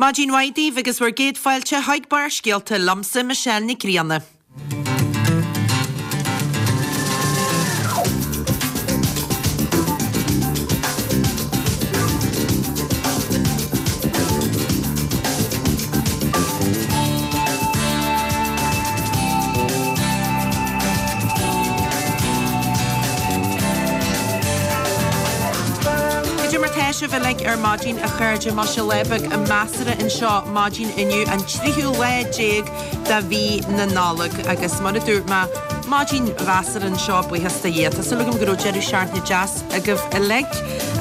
Maidin mhaith daoibh agus bhur gcéad fáilte chuig Barrscéalta liomsa, Michelle Nic Grianna. Cad é mar tá sibh uilig ar maidin a chairde Má sé lá beag measartha anseo maidin inniu an tríú lá déag de mhí na Nollag agus mar a dúirt mé maidin mheasartha anseo buíochas do Dhia. Tá súil agam go raibh deireadh seachtaine deas agaibh uilig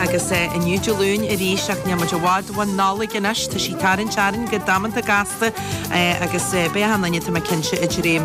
agus inniu Dé Luain arís ach níl muid i bhfad ón Nollaig anois, tá sí ag tarraingt orainn go damanta gasta agus beidh achan duine tá mé cinnte ag dréim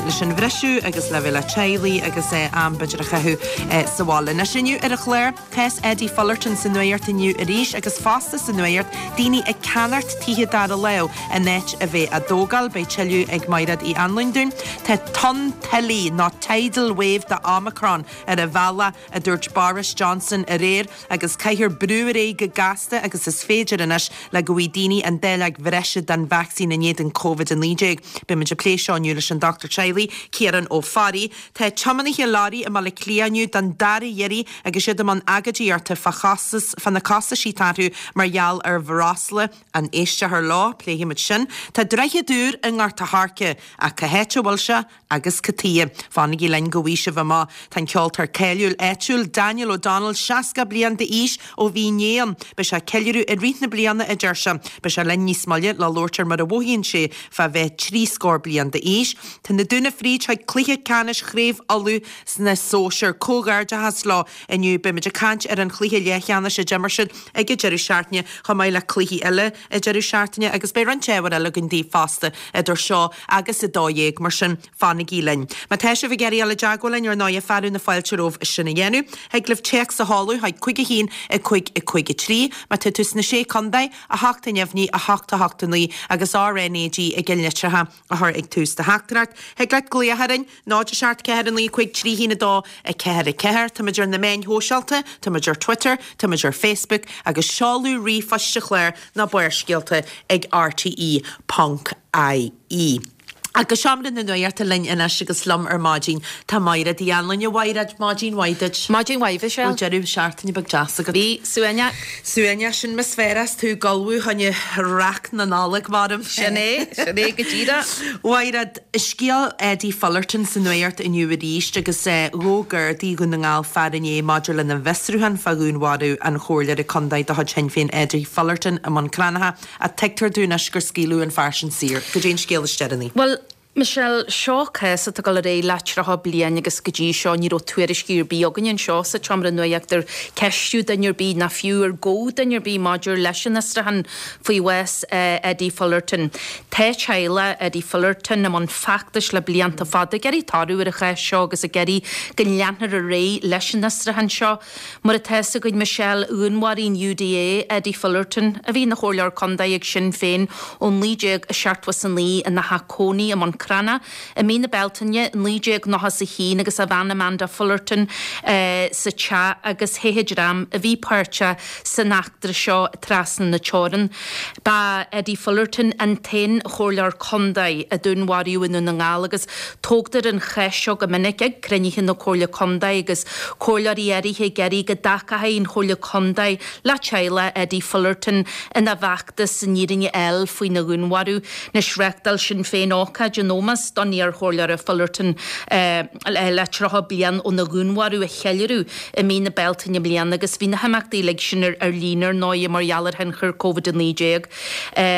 leis an bhriseadh agus le bheith le teaghlaigh agus am b'fhéidir a chaitheamh sa bhaile. Anois inniu ar an chlár, Cás Eddie Fullerton sa nuacht inniu arís agus fosta sa nuacht, daoine ag ceannacht tithe dara lámh in áit a bheith á dtógáil. Beidh tuilleadh ag Maighread Uí Anluain dúinn. Tá tonn tuile nó tidal wave de Omicron ar a bhealach, a dúirt Boris Johnson aréir, agus caithfear brú ar aghaidh go gasta agus is féidir anois le go bhfaighidh daoine an dáileog bhreise den vacsaín in éadan Covid-19. Beidh muid ag plé seo inniu leis an Dochtúir Teaghlaigh, Ciarán Ó Fearraigh. Tá tiománaithe leoraí i mBaile Átha Cliath inniu don dara hiarraidh agus iad i mbun agóidíochta fá chostas, fá na costaisí atá orthu mar gheall ar bhreosla. An éisteofar leo? Pléifimid sin. Tá droichead úr i nGort a' Choirce, ach cá háit a bhfuil sé agus cad tuighe? Fanaigí linn go bhfaighidh sibh amach. Tá an ceoltóir cáiliúil áitiúil Daniel O'Donnell 60 bliain d'aois ó bhí inné ann. Beidh sé ag ceiliúradh i rith na bliana, a deir sé. Beidh sé linn níos moille le labhairt ar mar a mhothaíonn sé fá bheith trí scór bliain d'aois. Tá na Dúnaibh fríd chuig cluiche ceannais Chraobh Uladh sna sóisir. Comhghairdeachas leo inniu. Beimid ag caint ar an chluiche leathcheannais a d'imir siad ag an deireadh seachtaine chomh maith le cluichí eile an deireadh seachtaine agus beidh roinnt ábhair eile againn daoibh fosta idir seo agus 12:00 mar sin fanaigí linn. Má tá sibh ag iarraidh dul i dteagmháil linn ar ndóighe fearadh na fáilte romhaibh sin a dhéanamh. Thig libh téacs a sheoladh chuig 5 1 5 5 3. Má tá tú sna Sé Contae, 8 a neamhní, 8 8 9 agus RNAG i gceannlitreacha a chur ag tús do theachtaireacht. Thig leat glaoch orainn, 0 7 4 9 5 3 1 2 4 4. Táimid ar na meáin shóisialta, táimid ar Twitter, táimid ar Facebook agus seoladh ríomhphoist an chláir ná Barrscéalta ag rte ponc ie. Agus Seomra na Nuachta linn anois agus liom ar maidin tá Maighread Uí Anluain. A Mhaighread, maidin mhaith duit. Maidin mhaith, Mhichelle. Raibh deireadh seachtaine beag deas agat? Bhí, suaimhneach. Suaimhneach, sin mar is fearr is tú ag ullmhú fá choinne raic na Nollag, maram. Sin é, sin é go díreach. Mhaighread, scéal Eddie Fullerton sa nuacht inniu arís agus ghabh Gardaí Dhún na nGall fear inné maidir lena bhfiosrúchán fá dhúnmharú an chomhairleora contae de chuid Shinn Féin Eddie Fullerton i mBun Cranncha. Ach tuigtear dúinn anois gur scaoileadh an fear sin saor. Goidé an scéal is deireanaí? Bhuel, Michelle, seo cás atá ag dul ar aghaidh le 30 bliain agus go dtí seo ní raibh tuairiscí ar bith againn anseo sa tseomra nuachta ar ceistíodh duine ar bith ná fiú ar gabhadh duine ar bith maidir leis an fhiosrúchán faoi bhás Eddie Fullerton. Tá teaghlach Eddie Fullerton i mbun feachtais le blianta fada ag iarraidh toradh ar an chás seo agus ag iarraidh go leanfar ar aghaidh leis an fhiosrúchán seo. Mar atá fhios againn, Michelle, dhúnmharaigh an UDA Eddie Fullerton, a bhí ina chomhairleoir contae ag Sinn Féin ó 1979 ina theach cónaí i mBun Cranncha i mí na Bealtaine 1991 agus a bhean Amanda Fullerton sa teach agus theith an dream a bhí páirteach san eachtra seo trasna na teorann. Ba Eddie Fullerton an t-aon chomhairleoir contae a dúnmharaíodh i nDún na nGall agus tógtar an cheist seo go minic ag cruinnithe na Comhairle Contae agus comhairleoirí áirithe ag iarraidh go dtacódh an Chomhairle Contae le teaghlach Eddie Fullerton ina bhfeachtas an fhírinne a fháil faoina dhúnmharú. Anois reáchtáil Sinn Féin ócáid in ómós don iarchomhairleoir Fullerton le 30 bliain óna dhúnmharú a cheiliúradh i mí na Bealtaine i mbliana agus bhí na himeachtaí uilig sin ar líne ar ndóigh mar gheall ar thionchar Covid-19.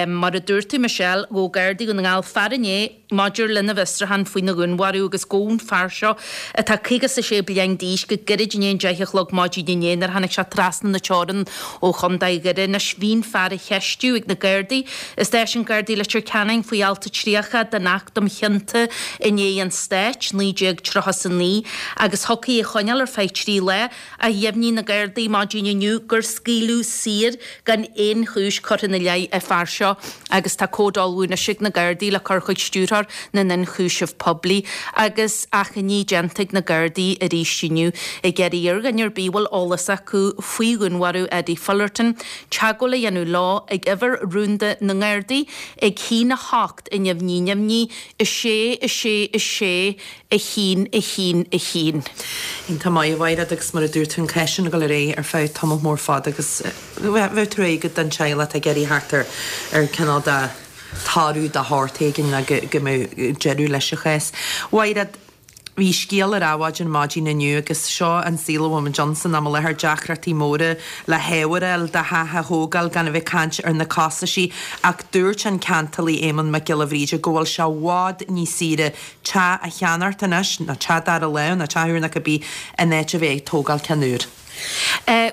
Mar a dúirt tú Michelle, ghabh Gardaí Dhún na nGall fear inné maidir lena bhfiosrúchán faoina dhúnmharú agus gabhadh an fear seo atá 56 bliain d'aois go gairid i ndiaidh an 10 a chlog maidin inné nuair a tháinig sé trasna na teorann ó Chontae Dhoire. Anois bhí an fear á cheistiú ag na Gardaí i Stáisiún Gardaí Leitir Ceanainn faoi alt 30 den Acht um. chionta in aghaidh an stáit, 1939, agus thiocfaí é a choinneáil ar feadh 3 lá, ach dheimhnigh na Gardaí maidin inniu gur scaoileadh saor gan aon chúis curtha ina leith an fear seo agus tá comhad á ullmhú anois ag na Gardaí le cur chuig Stiúrthóir na nIonchúiseamh Poiblí agus achainí déanta ag na Gardaí arís inniu ag iarraidh ar dhuine ar bith a bhfuil eolas acu faoi dhúnmharú Eddie Fullerton teagmháil a dhéanamh leo ag uimhir rúnda na nGardaí ag 1 8 neamhní neamhní 6 6 6 1 1 1. Iontach maith, a Mhaighread, agus mar a dúirt tú, an cás sin ag dul ar aghaidh ar feadh tamall mór fada agus bheadh trua agat don teaghlach atá ag iarraidh theacht ar ar cineál de toradh de shórt éigin nó go go mbeadh deireadh leis an chás. Mhaighread, bhí scéal ar Adhmhaidin maidin inniu agus seo an saol a bhfuil muid ann san am i láthair, deacrachtaí móra le hábhar a fháil do theach a thógáil gan a bheith ag caint ar na costaisí ach dúirt an ceantálaí Éamonn Mac Giolla Bhríde go bhfuil sé i bhfad níos saoire teach a cheannacht anois, nó teach dara láimhe, nó teach úr nó cibé, in áit a bheith ag tógáil ceann úr.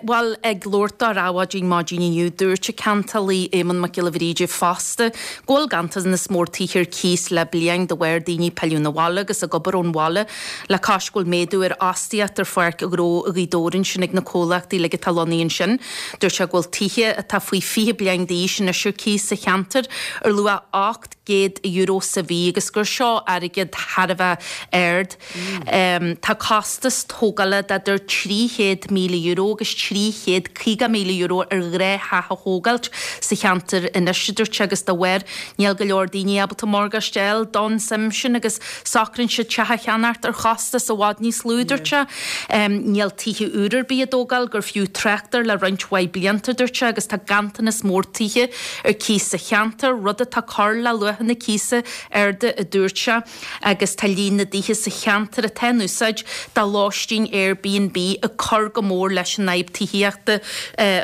Bhuel, ag labhairt dó ar Adhmhaidin maidin inniu, dúirt an ceantálaí Éamonn Mac Giolla Bhríde fosta go bhfuil ganntanas mór tithe ar cíos le bliain de bharr daoine pilleadh 'na bhaile agus ag obair ón bhaile, le cois go bhfuil méadú ar fhostaíocht ar pháirc ghnó Ghaoth Dobhair ansin ag na comhlachtaí uilig atá lonnaithe ansin. Dúirt sé go bhfuil tithe atá faoi 20 bliain d'aois anois ar cíos sa cheantar ar luach €800 sa mhí agus gur seo airgead thar a bheith ard. Tá costas tógála d'idir €300,000 agus €350,000 ar ghnáth-theach a thógáilt sa cheantar anois, a dúirt sé, agus dá bharr níl go leor daoine ábalta morgáiste a fháil don suim sin agus socraíonn siad teach a cheannacht ar chostas i bhfad níos lú, a dúirt sé. Níl tithe úr ar bith á dtógáil gur fiú trácht air le roinnt mhaith blianta, a dúirt sé, agus tá ganntanas mór tithe ar cíos sa cheantar, rud atá ag cur le luachanna cíosa arda, a dúirt sé, agus tá líon na dtithe sa cheantar atá in úsáid do lóistín Airbnb ag cur go mór leis an fhadhb tithíochta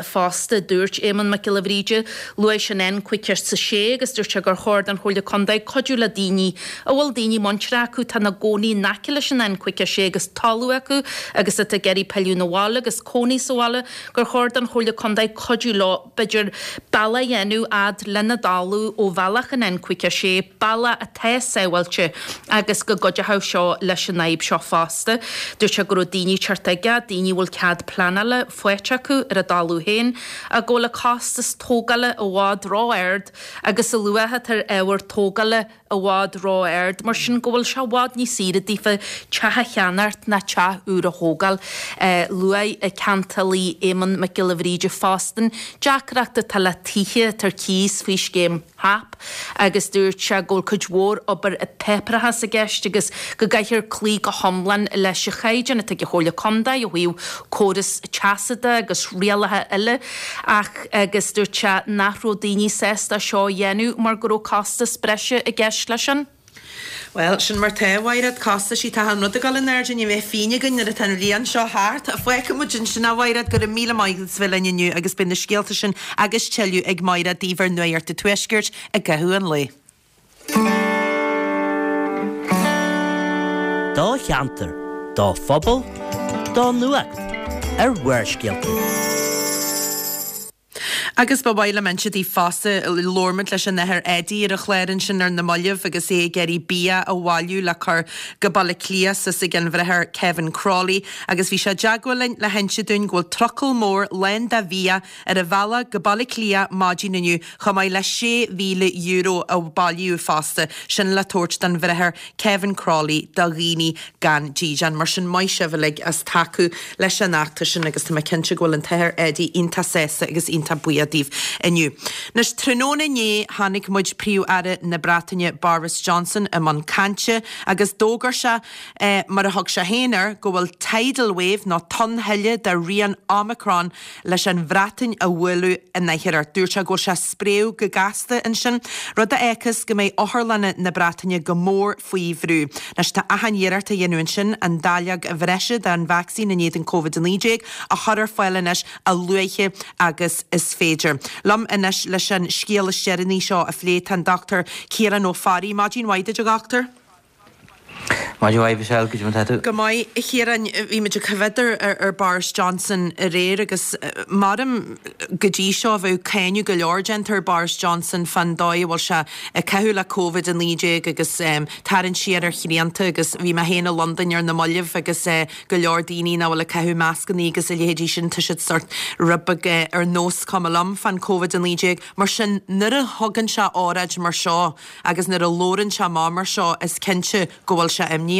fosta, a dúirt Éamonn Mac Giolla Bhríde. Luaigh sé an N56 agus dúirt sé gur chóir don Chomhairle Contae cuidiú le daoine a bhfuil daoine muinteartha acu atá ina gcónaí in aice leis an N56 agus talamh acu agus atá ag iarraidh pilleadh 'na bhaile agus cónaí sa bhaile, gur chóir don Chomhairle Contae cuidiú leo. b'fhéidir, bealach a dhéanamh fhad lena dtalamh ó bhealach an N56, bealach atá sábháilte agus go gcuideochadh seo leis an fhadhb seo fosta. Dúirt sé go raibh daoine ag teacht aige, daoine a bhfuil cead pleanála faighte acu ar a dtalamh féin, ach go bhfuil an costas tógála i bhfad ró-ard agus a luach atá ar ábhar tógála i bhfad ró-ard, mar sin go bhfuil sé i bhfad níos saoire daofa teach a cheannacht ná teach úr a thógáil. Luaigh an ceantálaí Éamonn Mac Giolla Bhríde fosta an deacracht atá le tithe atá ar cíos faoi scéim HAP agus dúirt sé go bhfuil cuid mhór obair páipéarachais i gceist agus go gcaithfear cloí go hiomlán leis an chaighdeán atá ag an Chomhairle Contae ó thaobh córas teasa de agus rialacha eile ach agus dúirt sé nach raibh daoine sásta seo a dhéanamh mar go raibh costas breise i gceist leis sin. Bhuel, sin mar tá, a Mhaighread, costaisí, tá an rud ag dul in airde, ní bheidh phingin againn nuair atá an bhliain seo thart. Fágfaidh muid ansin é, a Mhaighread, go raibh míle maith agat as bheith linn inniu agus beidh na scéalta sin agus tuilleadh ag Maighread daoibh ar Nuacht an Tuaiscirt i gcaitheamh an lae. Do cheantar, do phobal, do nuacht ar Bharrscéalta. Agus ba mhaith liom inse daoibh fosta, labhair muid leis an Athair Eddie ar an chlár ansin ar na mallaibh agus é ag iarraidh bia a bhailiú le cur go Baile Átha Cliath suas ag an Bhráthair Kevin Crowley agus bhí sé i dteagmháil linn le hinse dúinn go bhfuil trucail mór lán de bhia ar a bhealach go Baile Átha Cliath maidin inniu, chomh maith le €6,000 a bailíodh fosta, sin le tabhairt don Bhráthair Kevin Crowley do dhaoine gan dídean. Mar sin, maith sibh uilig as tacú leis an fheachtas sin agus tá mé cinnte go bhfuil an tAthair Eddie iontach sásta agus iontach buíoch daoibh inniu. Anois, tráthnóna inné chonaic muid Príomh-Aire na Breataine Boris Johnson i mbun cainte agus d'fhógair sé, mar a thug sé féin air, go bhfuil tidal wave nó tonnthuile de rian Omicron leis an Bhreatain a bhualadh in athuair. Dúirt sé go bhfuil sé ag spréadh go gasta ansin, rud a fhágfas go mbeidh otharlanna na Breataine go mór faoi bhrú. Anois tá achan iarracht á dhéanamh ansin an dáileog bhreise den vacsaín in éadan Covid-19 a chur ar fáil anois a luaithe agus is féidir. Liom anois leis an scéal is deireanaí seo a phlé tá an Dr Ciarán Ó Fearraigh. Maidin mhaith duit a dhochtúir. Maidin mhaith, Michelle, goidé mar tá tú? Go maith, a Chiaráin. Bhí muid ag coimhéad ar Boris Johnson aréir agus maram go dtí seo bheadh cáineadh go leor déanta ar Boris Johnson fán dóigh a bhfuil sé ag caitheamh le Covid-19 agus tarraingt siar ar shrianta agus bhí mé féin i Londain ar na mallaibh agus go leor daoine nach bhfuil ag caitheamh mascannaí agus a leithéidí sin tá siad sort rud beag ar nós cuma liom fán Covid-19. Mar sin nuair a thugann sé óráid mar seo Agus nuair a labhrann sé amach mar seo is cinnte go bhfuil sé imníoch.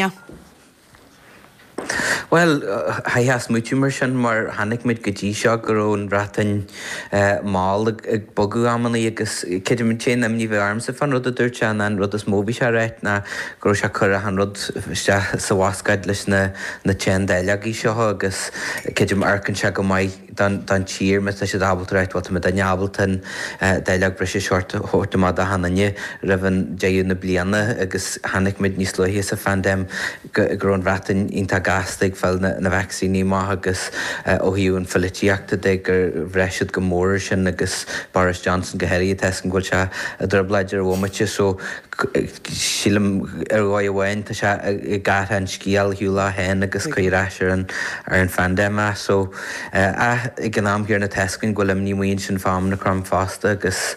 Bhuel, chaithfeá smaoitiú mar sin mar chonaic muid go dtí seo go raibh an Bhreatain mall ag bogadh amannaí agus creidim an t-aon imní a bhí ormsa fán rud a dúirt sé ná an rud is mó a bhí sé a ráit ná go raibh sé ag cur achan rud isteach sa bhascáid leis na na teann dáileogaí seo agus creidim amharcann sé go maith don tír má tá siad ábalta ráit bhuel tá muidinne ábalta an dáileog breise seo a thabhairt amach d'achan duine roimh an deireadh na bliana agus chonaic muid níos luaithe sa phaindéim go raibh an Bhreatain iontach gasta ag fáil na vacsaíní amach agus ó thaobh an pholaitíochta de gur bhraith siad go mór air sin agus Boris Johnson go háirithe tá a fhios agam go bhfuil sé i dtrioblóid ar an bhomaite so Sílim, ar dhóigh amháin, tá sé ag athrú an scéal ar shiúl leis féin agus cur ar ais ar an ar an phaindéim é. So, ach ag an am chéanna tá a fhios againn go bhfuil imní amuigh ansin fá Omicron fosta agus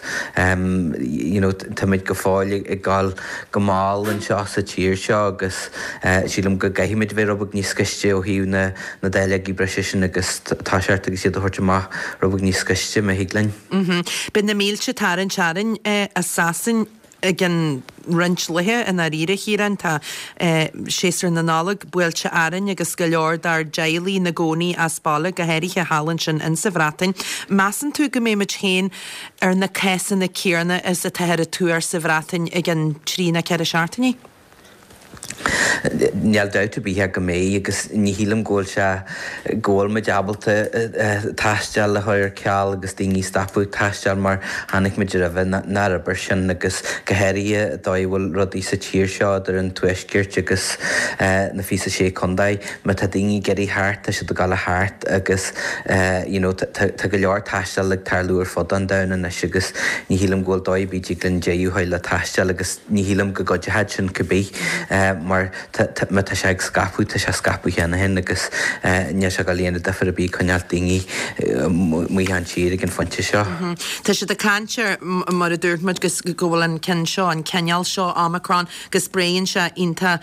you know táimid go fóill ag gabháil go mall anseo sa tír seo agus sílim go gcaithfimid bheith rud beag níos gaiste ó thaobh na na dáileogaí breise sin agus toiseacht agus iad a thabhairt amach rud beag níos gaiste má thig linn. Beidh na mílte ag tarraingt orainn as Sasain i gcionn roinnt laetha i ndáiríre, a Chiaráin. Tá séasúr na Nollag buailte orainn agus go leor dár dteaghlaigh ina gcónaí as baile, go háirithe thall ansin insa Bhreatain. Measann tú go mbeidh muid féin ar na cásanna céarna is atáthar ag tuar sa Bhreatain i gcionn trí nó 4 seachtainí? Níl dabht ar bith ach go mbeidh agus ní shílim go bhfuil sé, go bhfuil muid ábalta taisteal a chur ar ceal agus daoine a stopadh ag taisteal mar chonaic muid roimhe nár oibir sin agus go háirithe an dóigh a bhfuil rudaí sa tír seo idir an tuaisceart agus na 26 contae. Má tá daoine ag iarraidh theacht tá siad ag gabháil a theacht agus you know tá go leor taisteal ag tarlú ar fud an domhain anois agus ní shílim go bhfuil dóigh ar bith dtig linn deireadh a chur le taisteal agus Ní shílim go gcuideochadh sin cibé mar má tá sé ag scaipeadh, tá sé ag scaipeadh cheana féin agus níl sé ag dul a dhéanamh difear ar bith coinneáil daoine amuigh ón tír ag an phointe seo. Tá siad ag caint ar, mar a dúirt muid, go bhfuil an ceann seo, an cineál seo Omicron, go spréann sé iontach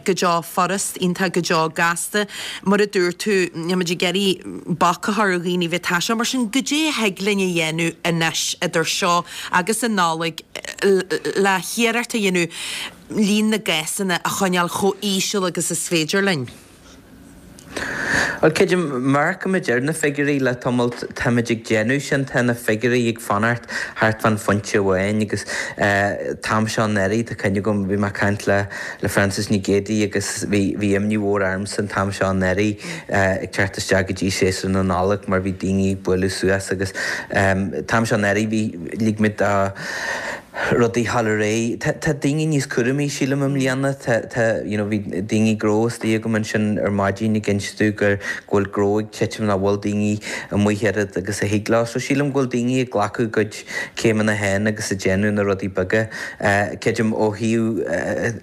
go deo furast, iontach go deo gasta. Mar a dúirt tú, níl muid ag iarraidh bac a chur ar dhaoine bheith ag taisteal, mar sin goidé a thig linn a dhéanamh anois idir seo agus an Nollaig le hiarracht a dhéanamh líon na gcásanna a choinneáil chomh íseal agus is féidir linn. Bhuel, creidim, má amharcaimid ar na figiúirí le tamall, táimid ag déanamh sin, tá na figiúirí ag fanacht thart fán phointe amháin agus an t-am seo anuraidh, tá cuimhne agam, bhí mé ag caint le le Frances Nic Géadaigh agus bhí bhí imní mhór ormsa an t-am seo anuraidh ag teacht isteach go dtí séasúr na Nollag mar bhí daoine ag bualadh suas agus an t-am seo anuraidh bhí lig muid do rudaí dhul ar aghaidh. Tá tá daoine níos cúramaí sílim i mbliana. Tá tá you know bhí daoine gnó istigh agam ansin ar maidin ag inse domh gur go bhfuil gnó ag titim nach bhfuil daoine amuigh oiread agus a thig leo. So sílim go bhfuil daoine ag glacadh a gcuid céimeanna féin agus ag déanamh na rudaí beaga. Creidim ó thaobh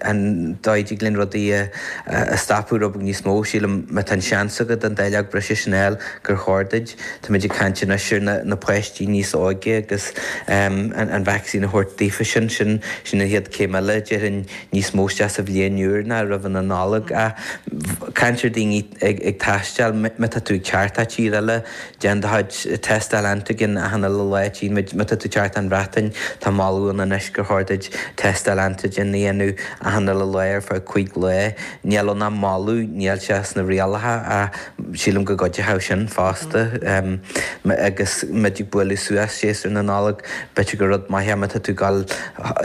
an dóigh a dtig linn rudaí a stopadh rud beag níos mó, sílim má tá an seans agat an dáileog breise sin a fháil gur chóir duit. Táimid ag caint anois ar na páistí níos óige agus an vacsaín a thabhairt daofa sin, sin sin an chéad céim eile déarfainn níos mó isteach sa bhliain úr ná roimh na Nollag. Ach caint ar daoine ag taisteal, má tá tú ag teacht as tír eile, Déan do chuid tástáil antigen achan uile lá. Tchíonn muid, má tá tú ag teacht ón Bhreatain, tá moladh ann anois gur chóir duit tástáil antigen a dhéanamh achan uile lá ar feadh 5 lá. Níl ann ach moladh, níl sé sna rialacha ach sílim go gcuideochadh sin fosta. Agus muid ag bualadh suas séasúr na Nollag, b'fhéidir gur rud maith é má tá tú ag dul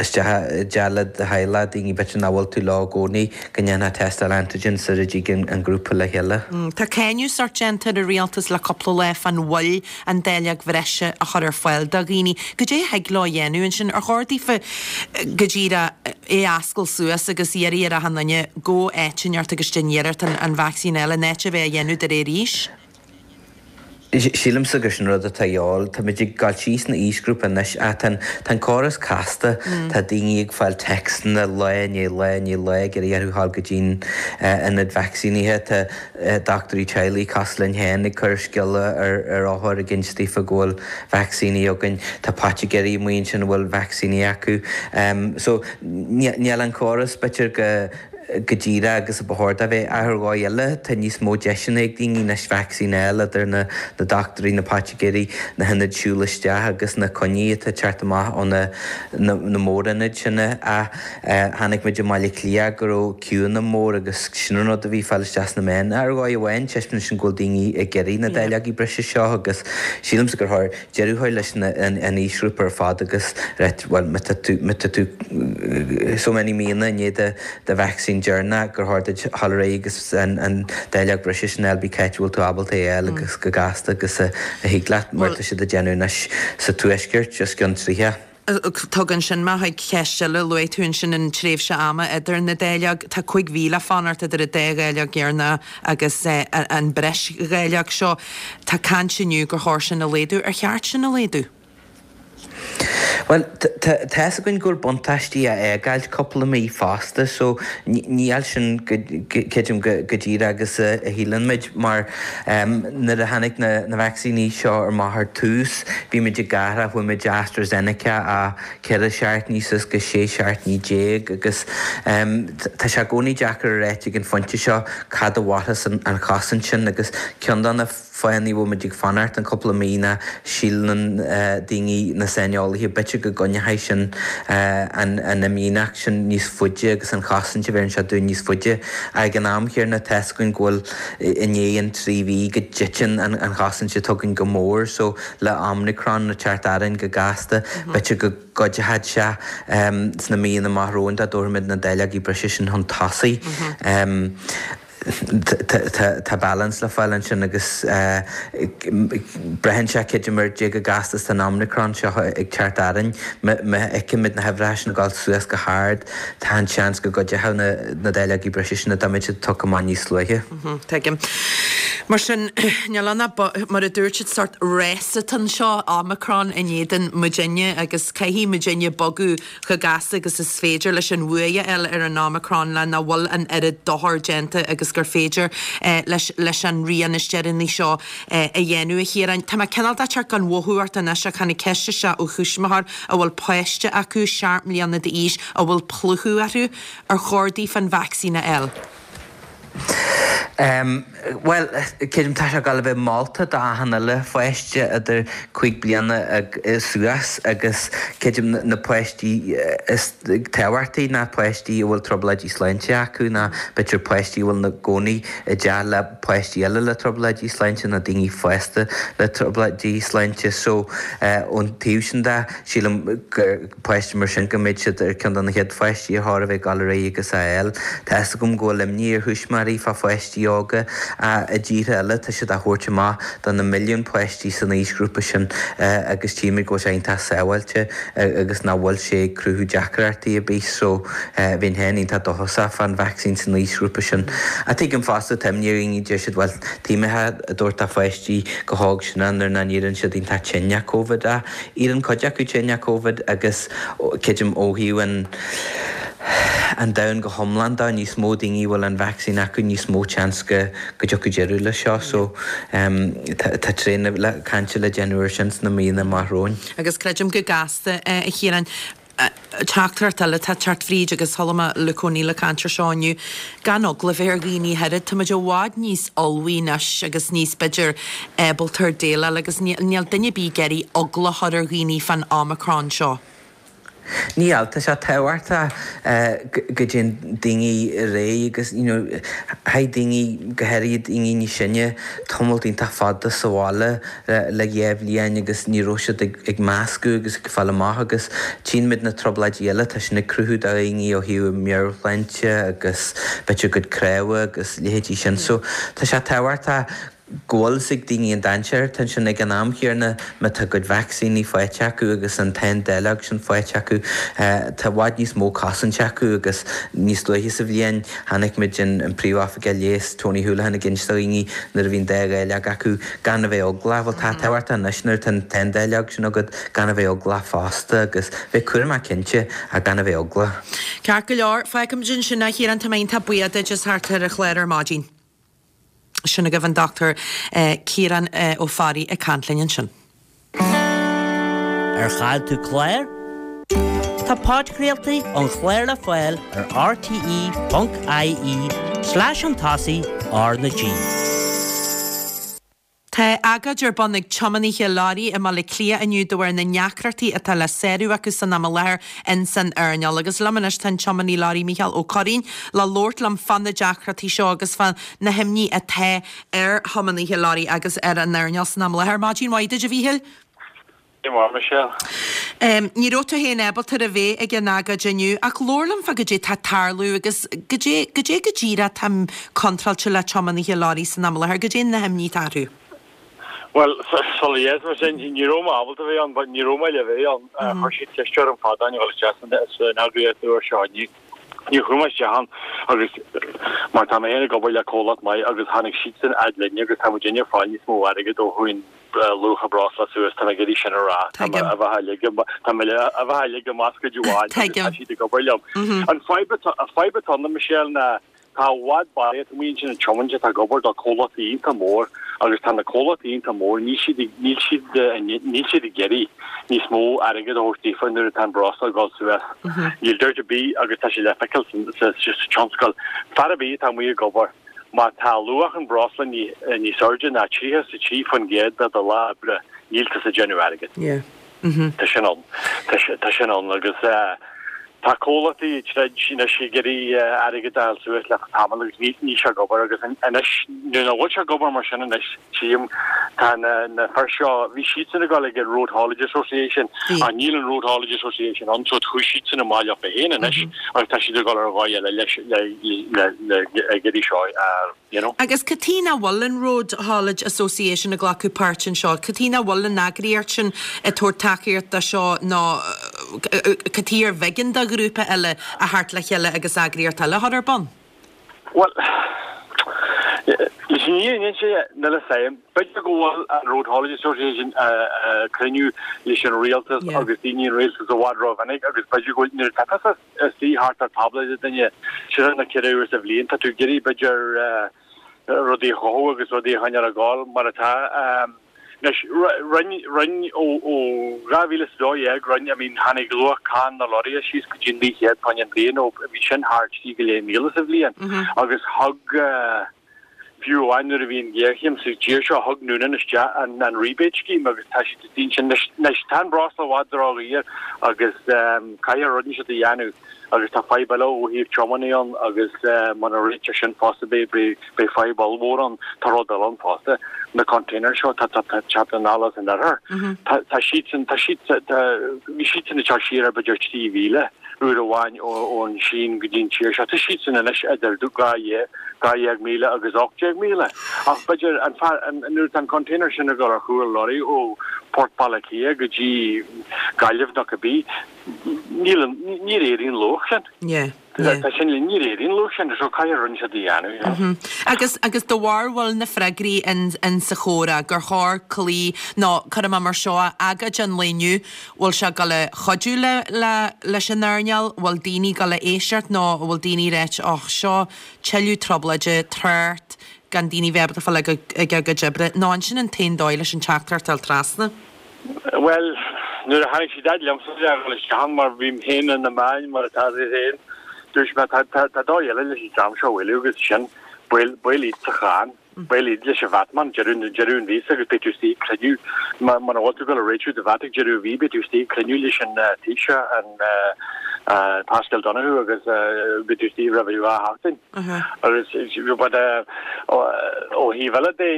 isteach i dteach le do theaghlach, daoine b'fhéidir nach bhfuil tú leo i gcónaí, go ndéanfá tástáil antigen sar a dtig an grúpa le chéile. Tá cáineadh sórt déanta ar an rialtas le cúpla lá fán mhoill an dáileog bhreise a chur ar fáil do dhaoine. Goidé a thig leo a dhéanamh ansin? Ar chóir daofa go díreach é a oscailt suas agus iarraidh ar achan duine gabh áit inteacht agus déan iarracht an vacsaín a fháil in áit a bheith á dhéanamh de réir aois? Sílimse gur sin rud atá a dhíobháil. Táimid ag gabháil síos na aoisghrúpa anois ach tá an, tá an córas casta. Tá daoine ag fáil téacsanna lá i ndiaidh lá i ndiaidh lá ag iarraidh orthu dhul go dtí'n ionad vacsaínithe. Tá dochtúirí teaghlaigh cosúil linn féin ag cur scéala ar ar othair ag inse daofa go bhfuil vacsaíní againn. Tá poitigéirí amuigh ansin a bhfuil vacsaíní acu. So níl an córas b'fhéidir go, go díreach agus a ba chóir dó bheith. Ach ar dhóigh eile, tá níos mó deiseanna ag daoine anois vacsaín a fháil idir na dochtúirí, na poitigéirí, na hionaid siúl isteach agus na coinní atá ag teacht amach ó na na mórionaid sin. Ach chonaic muid i mBaile Átha Cliath go raibh queueanna mór agus sin an rud a bhí ag fáil isteach sna meáin. Ach ar dhóigh amháin, taispeánann sin go bhfuil daoine ag iarraidh na dáileogaí breise seo agus sílimse gur chóir deireadh a chur leis an aoisghrúpa ar fad agus right bhuel má tá tú má tá tú so many míonna i ndiaidh do vacsaín deireanach gur chóir duit dhul ar aghaidh agus an an dáileog breise sin a fháil pé cá háit a bhfuil tú ábalta é a fháil agus go gasta agus a thig leat mar tá siad ag déanamh anois sa tuaisceart os cionn 30. Tugann sin mé chuig ceist eile. Luaigh tú ansin an tréimhse ama idir na dáileog. Tá 5 mhí le fanacht idir an dá dháileog dheireanach agus an breis dháileog seo. Tá caint inniu gur chóir sin a laghdú. Ar cheart sin a laghdú? Bhuel, tá fhios againn go bhfuil buntáistí a fhágáilt cúpla mí fosta so níl sin creidim go díreach agus a shíleann muid mar nuair a tháinig na vacsaíní seo amach ar tús bhí muid ag athrú, chuaigh muid AstraZeneca ó 14 seachtainí suas go 16 seachtainí agus tá sé i gcónaí deacair a ráit ag an phointe seo cad a mhairfeas an chosaint sin agus ceann de na fáthanna a bhfuil muid ag fanacht an cúpla mí ná síleann daoine, na saineolaithe, b'fhéidir go gcoinneoidh sin an imdhíonacht sin níos faide agus an chosaint a bheireann sé dúinn níos faide. Ag an am chéanna tá fhios againn go bhfuil i ndiaidh an 3 mhí go dtiteann an chosaint atá againn go mór so le Omicron ag teacht orainn go gasta b'fhéidir go gcuideoidh sé sna míonna amach romhainn dá dtabharfaimid na dáileogaí breise sin chun tosaigh. Tá balance le fáil ansin agus braitheann sé creidim ar cé chomh gasta is atá an Omicron seo ag teacht orainn. Má fheicimid na huimhreacha sin ag dul suas go hard, tá an seans go gcuideoidh na dáileogaí breise sin dá mbeadh siad tugtha amach níos luaithe. Tuigim. Mar sin, níl ann ach, mar a dúirt siad, sórt rása atá anseo, Omicron in éadan muidinne agus caithfidh muidinne bogadh chomh gasta agus is féidir leis an bhuaidh a fháil ar an Omicron le nach bhfuil an oiread dochair déanta agus gur féidir leis leis an rian is deireanaí seo a dhéanamh, a Chiaráin. Tá mé cineál de teacht gan mhothú ort anois ach tháinig ceist isteach ó thuismitheoir a bhfuil páiste acu, seacht mbliana d'aois, a bhfuil plúchadh orthu. Ar chóir daofa an vacsaín a fháil? Bhuel, creidim tá sé ag dul a bheith molta d'achan uile pháiste idir 5 bliana suas agus creidim na páistí is tábhachtaí ná páistí a bhfuil trioblóidí sláinte acu nó b'fhéidir páistí a bhfuil ina gcónaí i dteach le páistí eile le trioblóidí sláinte nó daoine fásta le trioblóidí sláinte. So, ón taobh sin de, sílim gur. páistí mar sin go mbeidh siad ar ceann de na chéad pháistí ar chóir a bheith ag dul ar aghaidh agus a fháil. Tá fhios agam go bhfuil imní ar thuismitheoirí fá pháistí óga ach i dtíortha eile tá siad á thabhairt amach do na milliúin páistí san aoisghrúpa sin agus tchímid go bhfuil sé iontach sábháilte agus nach bhfuil sé ag cruthú deacrachtaí ar bith so bheinn féin iontach dóchasach fán vacsaín san aoisghrúpa sin. Ach tuigim fosta tá imní ar dhaoine deir siad bhuel tuige a dtabhairt do pháistí chomh hóg sin nuair nach n-éiríonn siad iontach tinn le Covid ach Éiríonn cuid acu tinn le Covid agus creidim ó thaobh an an domhain go hiomlán de, níos mó daoine a bhfuil an vacsaín acu, níos mó seans go go dtiocfaidh deireadh leis seo. So tá tréan le cainte le déanamh ar sin sna míonna amach romhainn. Agus creidim go gasta, a Chiaráin, Teachtaireacht eile atá ag teacht fríd agus chuala mé Luke O'Neill ag caint ar seo inniu, gan eagla a bheith ar dhaoine ach oiread, tá muid i bhfad níos ullmhaí anois agus níos, b'fhéidir, ábalta ar déileáil agus níl duine ar bith ag iarraidh eagla a chur ar dhaoine fán Omicron seo. Níl, tá sé tábhachtach go dtéann daoine ar aghaidh agus you know chaith daoine, go háirithe daoine níos sine, tamalt iontach fada sa bhaile le dhá bhliain agus ní raibh siad ag meascadh agus ag fáil amach agus tchíonn muid na trioblóidí eile atá sin ag cruthú do dhaoine ó thaobh meabhairshláinte agus b'fhéidir a gcuid cnámha agus leithéidí sin so tá sé tábhachtach. Go bhfuil fhios ag daoine an dainséar atá ansin ag an am chéanna má tá a gcuid vacsaíní faighte acu agus an t-aon dáileog sin faighte acu, tá i bhfad níos mó cosaint acu agus níos luaithe sa bhliain chonaic muid an Príomhoifigeach Leighis Tony Holohan ag inse do dhaoine nuair a bhí an dá dháileog acu gan a bheith eaglach. Bhuel tá tábhachtach anois nuair atá an t-aon dáileog sin agat gan a bheith eaglach fosta agus bheith cúramach cinnte ach gan a bheith eaglach. Ceart go leor, fágfaimid ansin é a Chiaráin, tá mé iontach buíoch duit as theacht ar an chlár ar maidin. Sin agaibh an Dr Ciarán Ó Fearraigh ag caint linn ansin. Ar chaill tú clár? Tá podchraoltaí an chláir le fáil ar rte.ie slash chun tosaigh R na G. Tá agóid ar bun ag tiománaithe leoraí i mBaile Átha Cliath inniu de bharr na ndeacrachtaí atá le sárú acu san am i láthair in san earnáil. Agus liom anois tá an tiománaí leoraí Mícheál Ó Curraoin le labhairt liom fá na deacrachtaí seo agus fá na himní atá ar thiománaithe leoraí agus ar an earnáil san am i láthair. Maidin mhaith duit a Mhíchíl. Dia mhaith, Michelle. Ní raibh tú féin ábalta a bheith ag an agóid inniu, ach labhair liom fá goidé tá ag tarlú agus goidé, goidé go díreach atá contráilte le tiománaithe leoraí san am i láthair, goidé na himní atá orthu. Bhuel, sula dhéanfaidh mé sin, ní raibh mé ábalta a bheith ann, but ní raibh mé le bheith ann. Chuir siad ceist orm fadó a dhul isteach san eagraíocht uair seo inniu. Níor chuaigh mé isteach ann agus mar tá mé féin ag obair le comhlacht maith agus tháinig siadsan fhad linne agus tá muidinne ag fáil níos mó airgid ó chuaigh an luach an breosla suas, tá mé ag iarraidh sin a rá. Tá mé a bheith uilig, tá mé a bheith uilig i mbascaed amháin agus tá siad ag obair liom. An fadhb atá, an fadhb atá ann, Michelle, ná tá i bhfad barraíocht amuigh ansin ag tiomáint atá ag obair do comhlachtaí iontach mór agus tá na comhlachtaí iontach mór, níl siad, níl siad, níl siad ag iarraidh níos mó airgid a thabhairt daofa nuair atá an breosla ag dul suas. Níl dabht ar bith agus tá sé le feiceáil sa, sa tionscal. Fear ar bith atá amuigh ag obair, Má tá luach an bhreosla níos airde ná 33% de do lá oibre, níl tusa ag déanamh airgid. Tá sin ann. Tá sin ann agus tá comhlachtaí ag troid anois ag iarraidh airgead a fháil suas le tamall agus níl sé ag obair agus anois nuair nach bhfuil sé ag obair mar sin anois tchím tá na fir seo, bhí siadsan ag dul ag an Road Haulage Association ach níl an Road Haulage Association ann so chuaigh siadsan amach leo féin anois. agus tá siad ag dul ar dhóigh eile leis le ag iarraidh seo a you know. Agus cad chuige nach bhfuil an Road Haulage Association ag glacadh páirt anseo? Cad chuige nach bhfuil an eagraíocht sin ag tabhairt tacaíocht do seo nó cad chuige ar bh'éigean do ghrúpa eile a theacht le chéile agus eagraíocht eile a chur ar bun? Bhuel, leis an fhírinne a inse, níl a fhios agam. B'fhéidir go bhfuil an Road Haulage Association ag cruinniú leis an rialtas agus daoine an rialtas i bhfad rómhinic agus b'fhéidir go bhfuil, nuair atá tusa istigh thart ar tábla le duine trí nó 4 uair sa bhliain, tá tú ag iarraidh b'fhéidir rudaí a chothú agus rudaí a choinneáil ag gabháil mar atá. Anois, rinne, rinne, ó, ó 2012, rinne, I mean, tháinig luach cáin na lorraithe síos go dtí £900 an bhliain ó bhí sin thar trí go leith míle sa bhliain agus thug, fiú amháin nuair a bhí an ghéarchéim sa tír seo, thug Noonan isteach an, an rebate scheme agus tá siad istigh ansin. Anois, anois, tá an breosla i bhfad ródhaor agus caithfear rud inteacht a dhéanamh agus tá fadhb eile ó thaobh tiománaí ann agus muna réitear sin fosta beidh, beidh, Beidh fadhb ollmhór ann. Tá rud eile ann fosta. Na containers seo atá ag teacht anall as an oirthear. Tá siadsan, tá siad, tá, bhí siadsan ag teacht siar ar b'fhéidir 3,000 uair amháin ón Sín go dtí an tír seo. Tá siadsan anois idir 12,000 agus 18,000. Ach b'fhéidir an fear, nuair atá an container sin ag dul ar chúl lorry ó Port Baile Átha Cliath go dtí Gaillimh nó cibé, níl an, níor éirigh an luach sin. Yeah. Tá sin le ní réiríonn luach sin so caithfidh rud inteacht a dhéanamh, you know. Agus, agus do bharúil na freagraí in, in sa chomhrá gur chóir cloí nó cuirfidh mé mar seo é, agóid an lae inniu, bhfuil sé ag dul a chuidiú le, le, leis an earnáil, bhfuil daoine ag dul a éisteacht nó an bhfuil daoine ag ráit och seo tuilleadh trioblóide, trácht, gan daoine bheith ábalta fáil ag, ag a gcuid oibre, nó an sin an t-aon dóigh leis an teachtaireacht a fháil trasna? Bhuel, nuair a tháinig siad fhad liomsa le dhul isteach ann, mar bhím féin ar na meáin mar atá tú féin, dúirt mé, tá, tá, tá dóigh eile leis an dream seo a bhailiú agus sin, buail, buail iad sa cháin, buail iad leis an VAT man deireadh, deireadh an mhíosa agus beidh tú istigh ag cruinniú, má, muna bhfuil tú ag dul a réitiú do VAT ag deireadh an mhí, beidh tú istigh ag cruinniú leis an Taoiseach, an Paschal Donohoe agus beidh tú istigh roimh dhá sheachtain. Agus, but, ó thaobh eile de,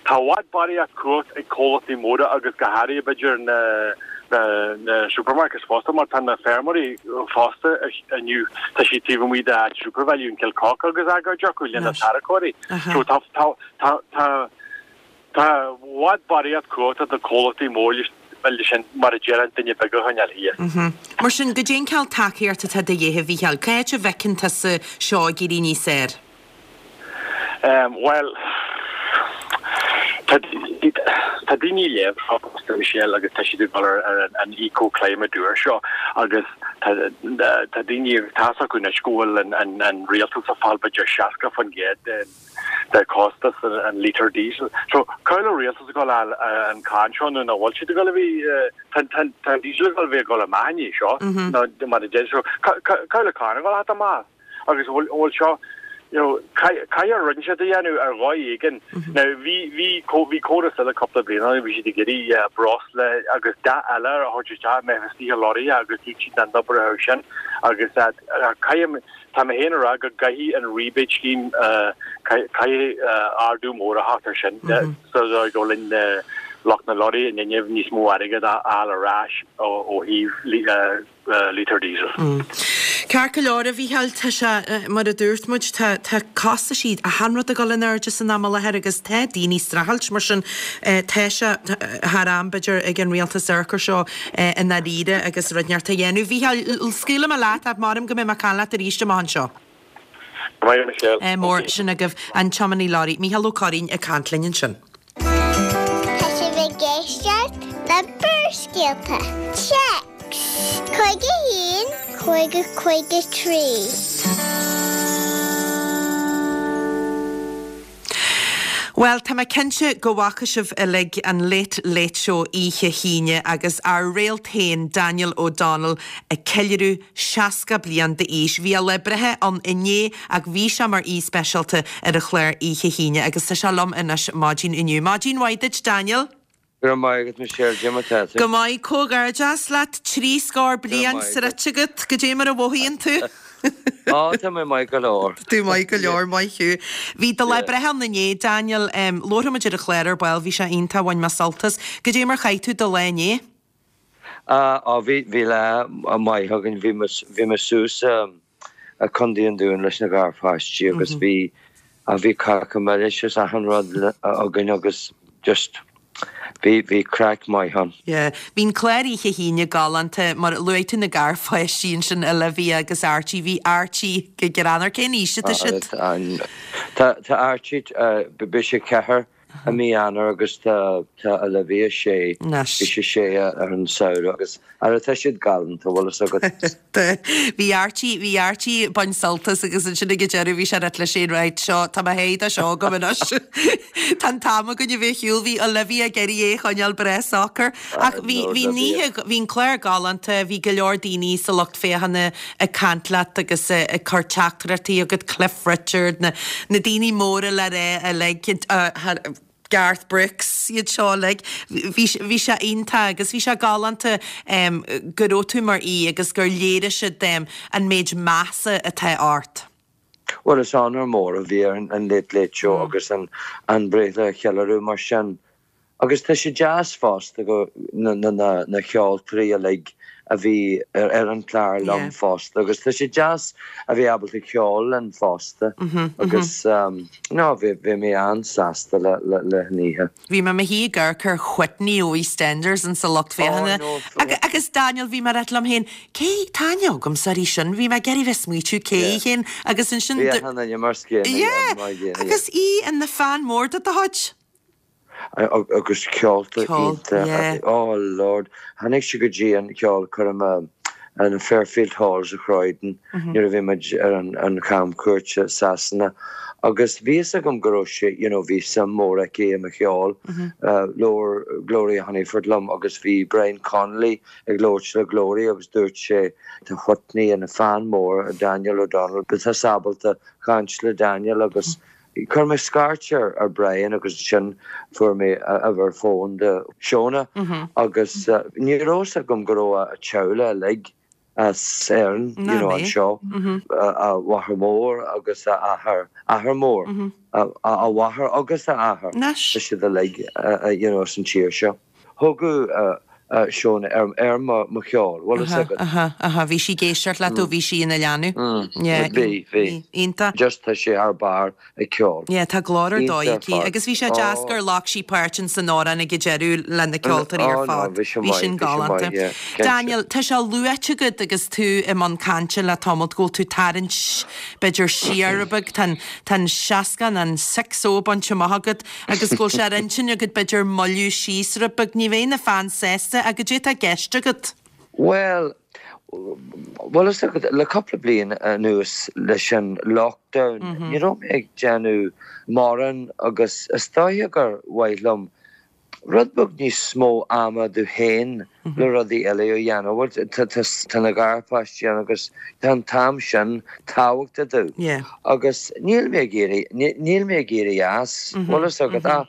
Tá i bhfad barraíocht cumhacht ag comhlachtaí móra agus go háirithe b'fhéidir na. Na supermarkets fosta mar tá na feirmeoirí fosta inniu tá siad taobh amuigh de áit SuperValu in Cill Coca agus agóid acu le na tarracóirí. So tá tá tá tá tá i bhfad barraíocht cumhachta ag na comhlachtaí mór leis sin mar a deir an duine beag a choinneáil thíos. Mar sin, goidé an cineál tacaíocht atá de dhíth, a Mhícheáil? Cá háit a bhfeiceann tusa seo ag éirí níos fhearr? Bhuel, tá tá daoine ag léamh fosta, Michelle, agus tá siad ag dul ar an eco-climate úr seo agus tá tá daoine, tá's acu anois go bhfuil an rialtas ag fáil b'fhéidir 60% den de costas an litre diesel. So, cá bhfuil an rialtas ag dul a fháil an cáin seo nó nach bhfuil siad ag dul a bheith, tá tá an diesel ag dul a bheith ag dul amach i ndiaidh seo nó mar a deir so cá bhfuil an cáin ag dul a theacht amach? Agus an bhfuil seo, you know, caithfidh rud inteacht a dhéanamh ar dhóigh éigin. Now, bhí, bhí, bhí córas eile cúpla bliain ó shin, bhí siad ag iarraidh breosla agus dath eile a thabhairt isteach, mbeadh istigh i lorraithe agus dúirt siad nach n-oibreodh sin agus caithfidh, tá mé féin ag rá go gcaithfidh an rebate scheme, caithfidh ardú mór a theacht ar sin sa dóigh go bhfuil lucht na lorraí in inmhe níos mó airgead a fháil ar ais ó thaobh litre diesel. Ceart go leor, a Mhícheáil, tá sé, mar a dúirt muid, tá, tá costaisí, achan rud ag dul in airde san am i láthair agus tá daoine ag streachailt, mar sin tá sé thar am, b'fhéidir, ag an rialtas amharc air seo i ndáiríre agus rud inteacht a dhéanamh. Mhícheáil, scaoilfidh mé leat ach measaim go mbeidh mé ag caint leat arís amach anseo. Go maith, Michelle. Ádh mór, sin agaibh an tiománaí leoraí, Mícheál Ó Curraoin ag caint linn ansin. Tá sibh ag éisteacht le Barrscéalta. Téacs 51 50 53. Bhuel, tá mé cinnte go bhfaca sibh uilig an Late Late Show oíche hAoine agus ár réalt féin, Daniel O'Donnell, ag ceiliúradh 60 bliain d'aois. Bhí a lá breithe ann inné ach bhí sé mar aoi speisialta ar an chlár oíche hAoine agus tá sé liom anois maidin inniu. Maidin mhaith duit, Daniel. Go raibh maith agat, Michelle. Cad é mar atá tú? Go maith. Comhghairdeas leat. Trí scór bliain sroichte agat. Goidé mar a mhothaíonn tú? Á, tá mé maith go leor. Tá tú maith go leor, maith thú. Bhí do lá breithe ann inné, Daniel. Labharfaidh muid ar an chlár ar ball, bhí sé iontach, bhain mé sult as. Goidé mar chaith tú do lá inné? Á, bhí, bhí lá maith againn. Bhí mé, bhí mé suas i Contae an Dúin leis na garpháistí agus bhí, á, bhí cáca milis is achan rud againn agus just bhí, bhí craic maith ann. Yeah. Bhí an clár oíche hAoine galánta, mar luaigh tú na garpháistí ansin, Olivia agus Archie, bhí Archie go greannmhar. Cén aois atá siad? Tá, tá Archie, beidh sé ceathair i mí Eanáir agus tá Olivia sé, bhí sí sé ar an samhradh agus ara tá siad galánta, bhfuil fhios agat. Bhí Archie, bhí Archie ag baint sult as agus ansin ag an deireadh bhí sé ag ráit leis féin right seo, tá mé théis de seo agam anois. Tá an t-am againn a bheith ar shiúl, bhí Olivia ag iarraidh é a choinneáil breá socair. Ach bhí, bhí an oíche, bhí an clár galánta, bhí go leor daoine sa lucht féachana ag caint leat agus ag cur teachtaireachtaí chugat, Cliff Richard, na na daoine móra le rá uilig, Garth Brooks, iad seo uilig. Bhí bhí sé iontach agus bhí sé galánta go raibh tú mar aoi agus gur léirigh siad an méid measa atá ort. Bhuel, is onóir mór a bhí ar an Late Late Show agus an an breithlá a cheiliúradh mar sin. Agus tá sé deas fosta go na na ceoltóirí uilig a bhí ar an chlár liom fosta agus tá sé deas a bheith ábalta ceol linn fosta agus no bhí bhí mé an-sásta le le le an oíche. Bhí mé i mo shuí ag amharc ar Whitney ó EastEnders in sa lucht féachana agus Daniel bhí mé ag ráit liom féin cé tá aithne agamsa uirthi sin bhí mé ag iarraidh bheith ag smaoitiú cé í féin agus ansin Bhí achan duine mar an gcéanna Yeah agus í ina fan mór de do chuid. Agus ceoltóir iontach, oh Lord, tháinig sí go dtí an cheolchoirm in Fairfield Hall sa Chroydon nuair a bhí muid ar an chamchuairt i Sasana agus bhí fhios agam go raibh sí, you know, bhí suim mór aici i mo cheol. Labhair Gloria Hunniford liom agus bhí Brian Connolly ag labhairt le Gloria agus dúirt sé tá Whitney ina fan mór ar Daniel O'Donnell, beidh tusa ábalta caint le Daniel agus Chuir mé scairt ar Brian agus ansin fuair mé uimhir fóin de Shona agus ní raibh fhios agam go raibh a teaghlach uilig as Éirinn, you know, anseo, a mháthair mhór agus a athair, athair mór, a mháthair agus a athair, tá siad uilig, you know, as an tír seo. Thugadh. Shona ar mo cheol, bhfuil fhios agat. Aha, aha, bhí sí ag éisteacht leat ó bhí sí ina leanbh. Yeah. Bhí, bhí. Iontach. Just tá sí thar barr ag ceol. Yeah, tá glór ar dóigh aici. Agus bhí sé deas gur ghlac sí páirt in san amhrán ag an deireadh le na ceoltóirí ar fad. Bhí sin maith, Bhí sin galánta. Daniel, tá sé luaite agat agus tú i mbun cainte le tamalt go bhfuil tú tarraingt b'fhéidir siar rud beag, tá an seasca, an 60 bainte amach agat. Agus go bhfuil sé ar intinn agat b'fhéidir moilliú síos rud beag, ní bheidh na fans sásta, ach goidé atá i gceist agat? Bhuel, bhfuil fhios agat, le cúpla bliain anuas leis an lockdown, ní raibh mé ag déanamh mórán agus is dóiche gur mhaith liom rud beag níos mó ama domh féin le rudaí eile a dhéanamh. Bhuel, tá na garpháistí ann agus tá an t-am sin tábhachtach domh agus níl mé ag éirí, níl mé ag éirí as, bhfuil fhios agat, ach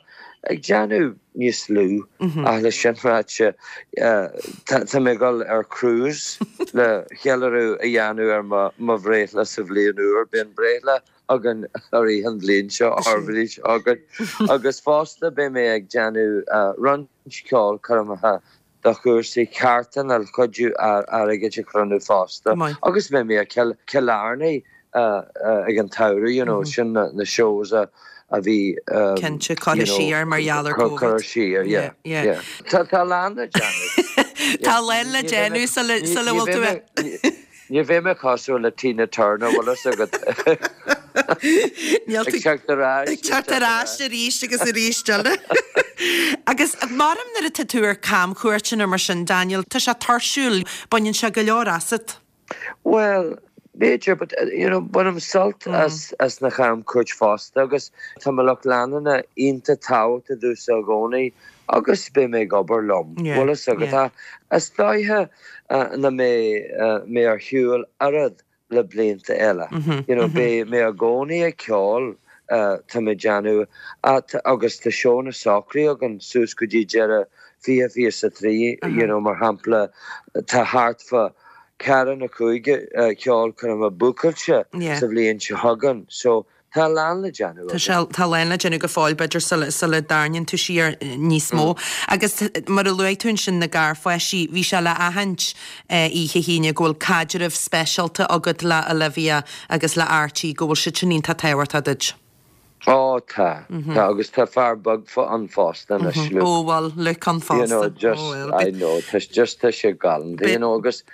ag déanamh níos lú ach le sin ráite, tá mé ag dul ar cruise le ceiliúradh a dhéanamh ar mo bhreithlá sa bhliain úr, beidh an breithlá againn i rith an bhliain seo, ár bhliain seo chugainn agus fosta beidh mé ag déanamh roinnt ceolchoirmeacha do chúrsaí carthanna le cuidiú airgid a chruinniú fosta agus beidh mé i Cill Airne ag an tsamhradh, you know, sin na shows a bhí Cinnte, curtha siar mar gheall ar Covid. Curtha siar, yeah, yeah. Tá a lán le déanamh. Tá a lán le déanamh sula bhfuil tú. Ní bheidh mé cosúil le Tina Turner, bhfuil fhios agat. Níl Ag teacht ar ais. Ag teacht ar ais arís agus arís eile. Agus maram nuair atá tú ar camchuairteanna mar sin, Daniel, tá sé tuirsiúil, baineann sé go leor asat. Bhuel, b'fhéidir, but you know, bainim sult as as na camchuairt fosta agus tá mo lucht leanúna iontach tábhachtach domhsa i gcónaí agus beidh mé ag obair liom, bhfuil fhios agat. Is dóiche nach mbeidh mé ar shiúl oiread le blianta eile. You know, beidh mé i gcónaí ag ceol, tá mé ag déanamh, agus tá seónna socraithe againn suas go dtí deireadh 2023, you know, mar shampla, tá thart fá ceathair nó cúig ceolchoirme bookáilte sa bhliain seo chugainn, so Tá a lán le déanamh Tá sé, tá a lán le déanamh go fóill, b'fhéidir, sula, sula dtarraingíonn tú siar níos mó. Agus mar a luaigh tú ansin na garpháistí, bhí sé le aithint oíche hAoine go bhfuil caidreamh speisialta agat le Olivia agus le Archie, go bhfuil siad sin iontach tábhachtach duit. Ó tá, tá, agus tá fear beag ann fosta anois, Luke. Ó bhfuil Luke ann fosta. You know, just, I know, tá, just tá sé galánta, you know, agus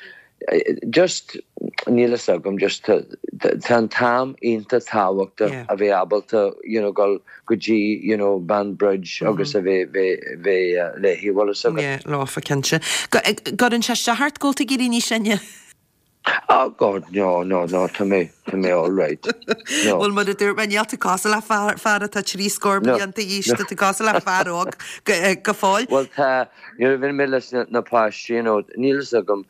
Just, níl fhios agam, just tá an t-am iontach tábhachtach a bheith ábalta you know dul go dtí you know Banbridge agus a bheith bheith bheith léi, bhfuil fhios agat. Yeah, leofa cinnte. Gcuireann sé isteach ort go bhfuil tú ag éirí níos sine? Oh God, no, no, no, tá mé, tá mé all right. No. Bhuel, mar a dúirt mé, níl tú cosúil le fear, fear atá trí scór bliain d'aois, tá tú cosúil le fear óg go, go fóill. Bhuel tá, Nuair a bhíonn mé leis na páistí, you know, níl fhios agam,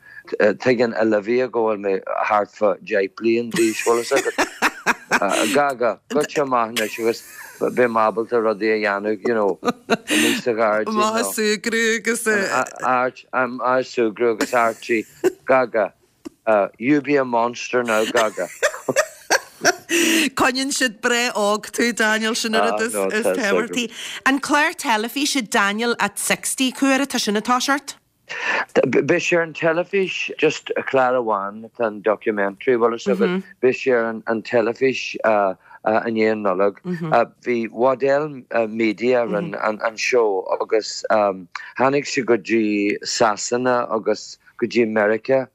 tuigeann Olivia go bhfuil mé thart fá 10 bliain d'aois, bhfuil fhios agat. Gaga, goitse amach anois agus beidh mé ábalta rudaí a dhéanamh, you know, amuigh sa ghairdín. Maith ag súgradh agus. Art, I'm ag súgradh agus Archie, Gaga. You be a monster now, Gaga. Coinníonn siad breá óg tú, Daniel, sin an rud is tábhachtaí. An clár teilifíse Daniel at 60, cá huair atá sin ag toiseacht? Beidh sé ar an teilifís, just clár amháin atá an documentary, bhfuil fhios agat, beidh sé ar an teilifís i ndiaidh an Nollag. Bhí Waddell Media a rinne an seó agus tháinig sé go dtí Sasana agus go dtí Meiriceá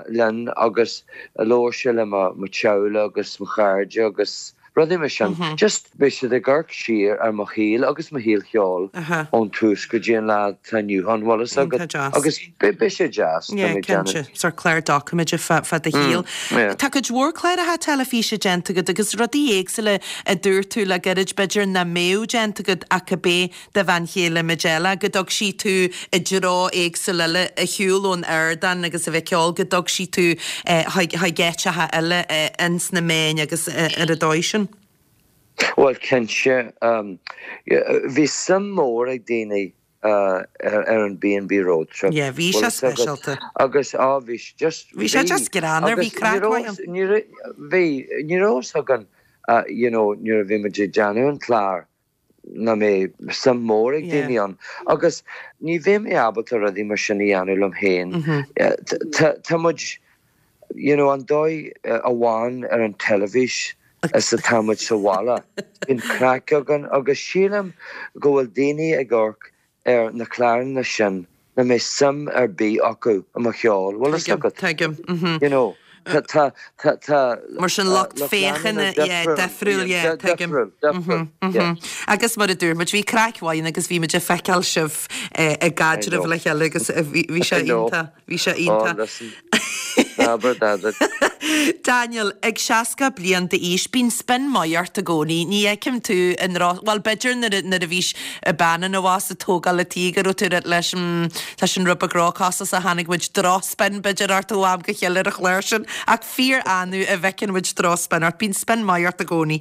linn agus labhair sé le mo teaghlach agus mo chairde agus rudaí mar sin. Just beidh siad ag amharc siar ar mo shaol agus mo shaol cheoil ón tús go dtí an lá atá inniu ann, bhfuil fhios agat. Agus beidh sé deas, tá mé ag déanamh. Cinnte, sórt clár doiciméide fá do shaol. Tá cuid mhór cláracha teilifíse déanta agat agus rudaí éagsúla a dúirt tú le gairid b'fhéidir nach mbeadh déanta agat ach cibé do bhean chéile Majella, go dtug sí tú i dtreo éagsúil eile, ar shiúl ón ardán agus a bheith ag ceol, go dtug sí tú chuig áiteacha eile ins na meáin agus ar an dóigh sin. Bhuel, cinnte. Bhí suim mhór ag daoine ar an B&B Road Trip. Yeah, bhí sé speisialta. Agus, á, bhí sé just, bhí. Bhí sé just greannmhar, bhí craic mhaith ann. Bhí, ní raibh fhios againn, you know, nuair a bhí muid ag déanamh an clár. nach mbeidh suim mór ag daoine ann. Agus ní bheidh mé ábalta rudaí mar sin a dhéanamh liom féin. Tá muid, you know, an dóigh amháin ar an teilifís is atá muid sa bhaile. Bíonn craic againn agus sílim go bhfuil daoine ag amharc ar na cláranna sin nach mbeidh suim ar bith acu i mo cheol, bhfuil fhios agat? Tuigim, tuigim. You know, tá, tá, tá, tá. Mar sin lucht féachana, yeah, difriúil, yeah, tuigim. Difriúil, difriúil, yeah. Agus mar a dúirt muid, bhí craic mhaith ann agus bhí muid ag feiceáil sibh ag caidreamh le chéile agus bhí sé iontach. Bhí sé iontach. Oh, listen. Abair dada. Daniel, ag 60 bliain d'aois, bíonn spin maith ort i gcónaí. Ní fheicim tú i ndroch, bhuel, b'fhéidir nuair a, nuair a bhís bean ina bhás ag tógáil a tí go raibh tú ag rá leis, mm, tá sin rud beag róchostasach, chonaic muid droch-spin b'fhéidir ort ó am go chéile ar an chlár sin, ach fíor-annamh a bhfeiceann muid droch-spin ort. Bíonn spin maith ort i gcónaí.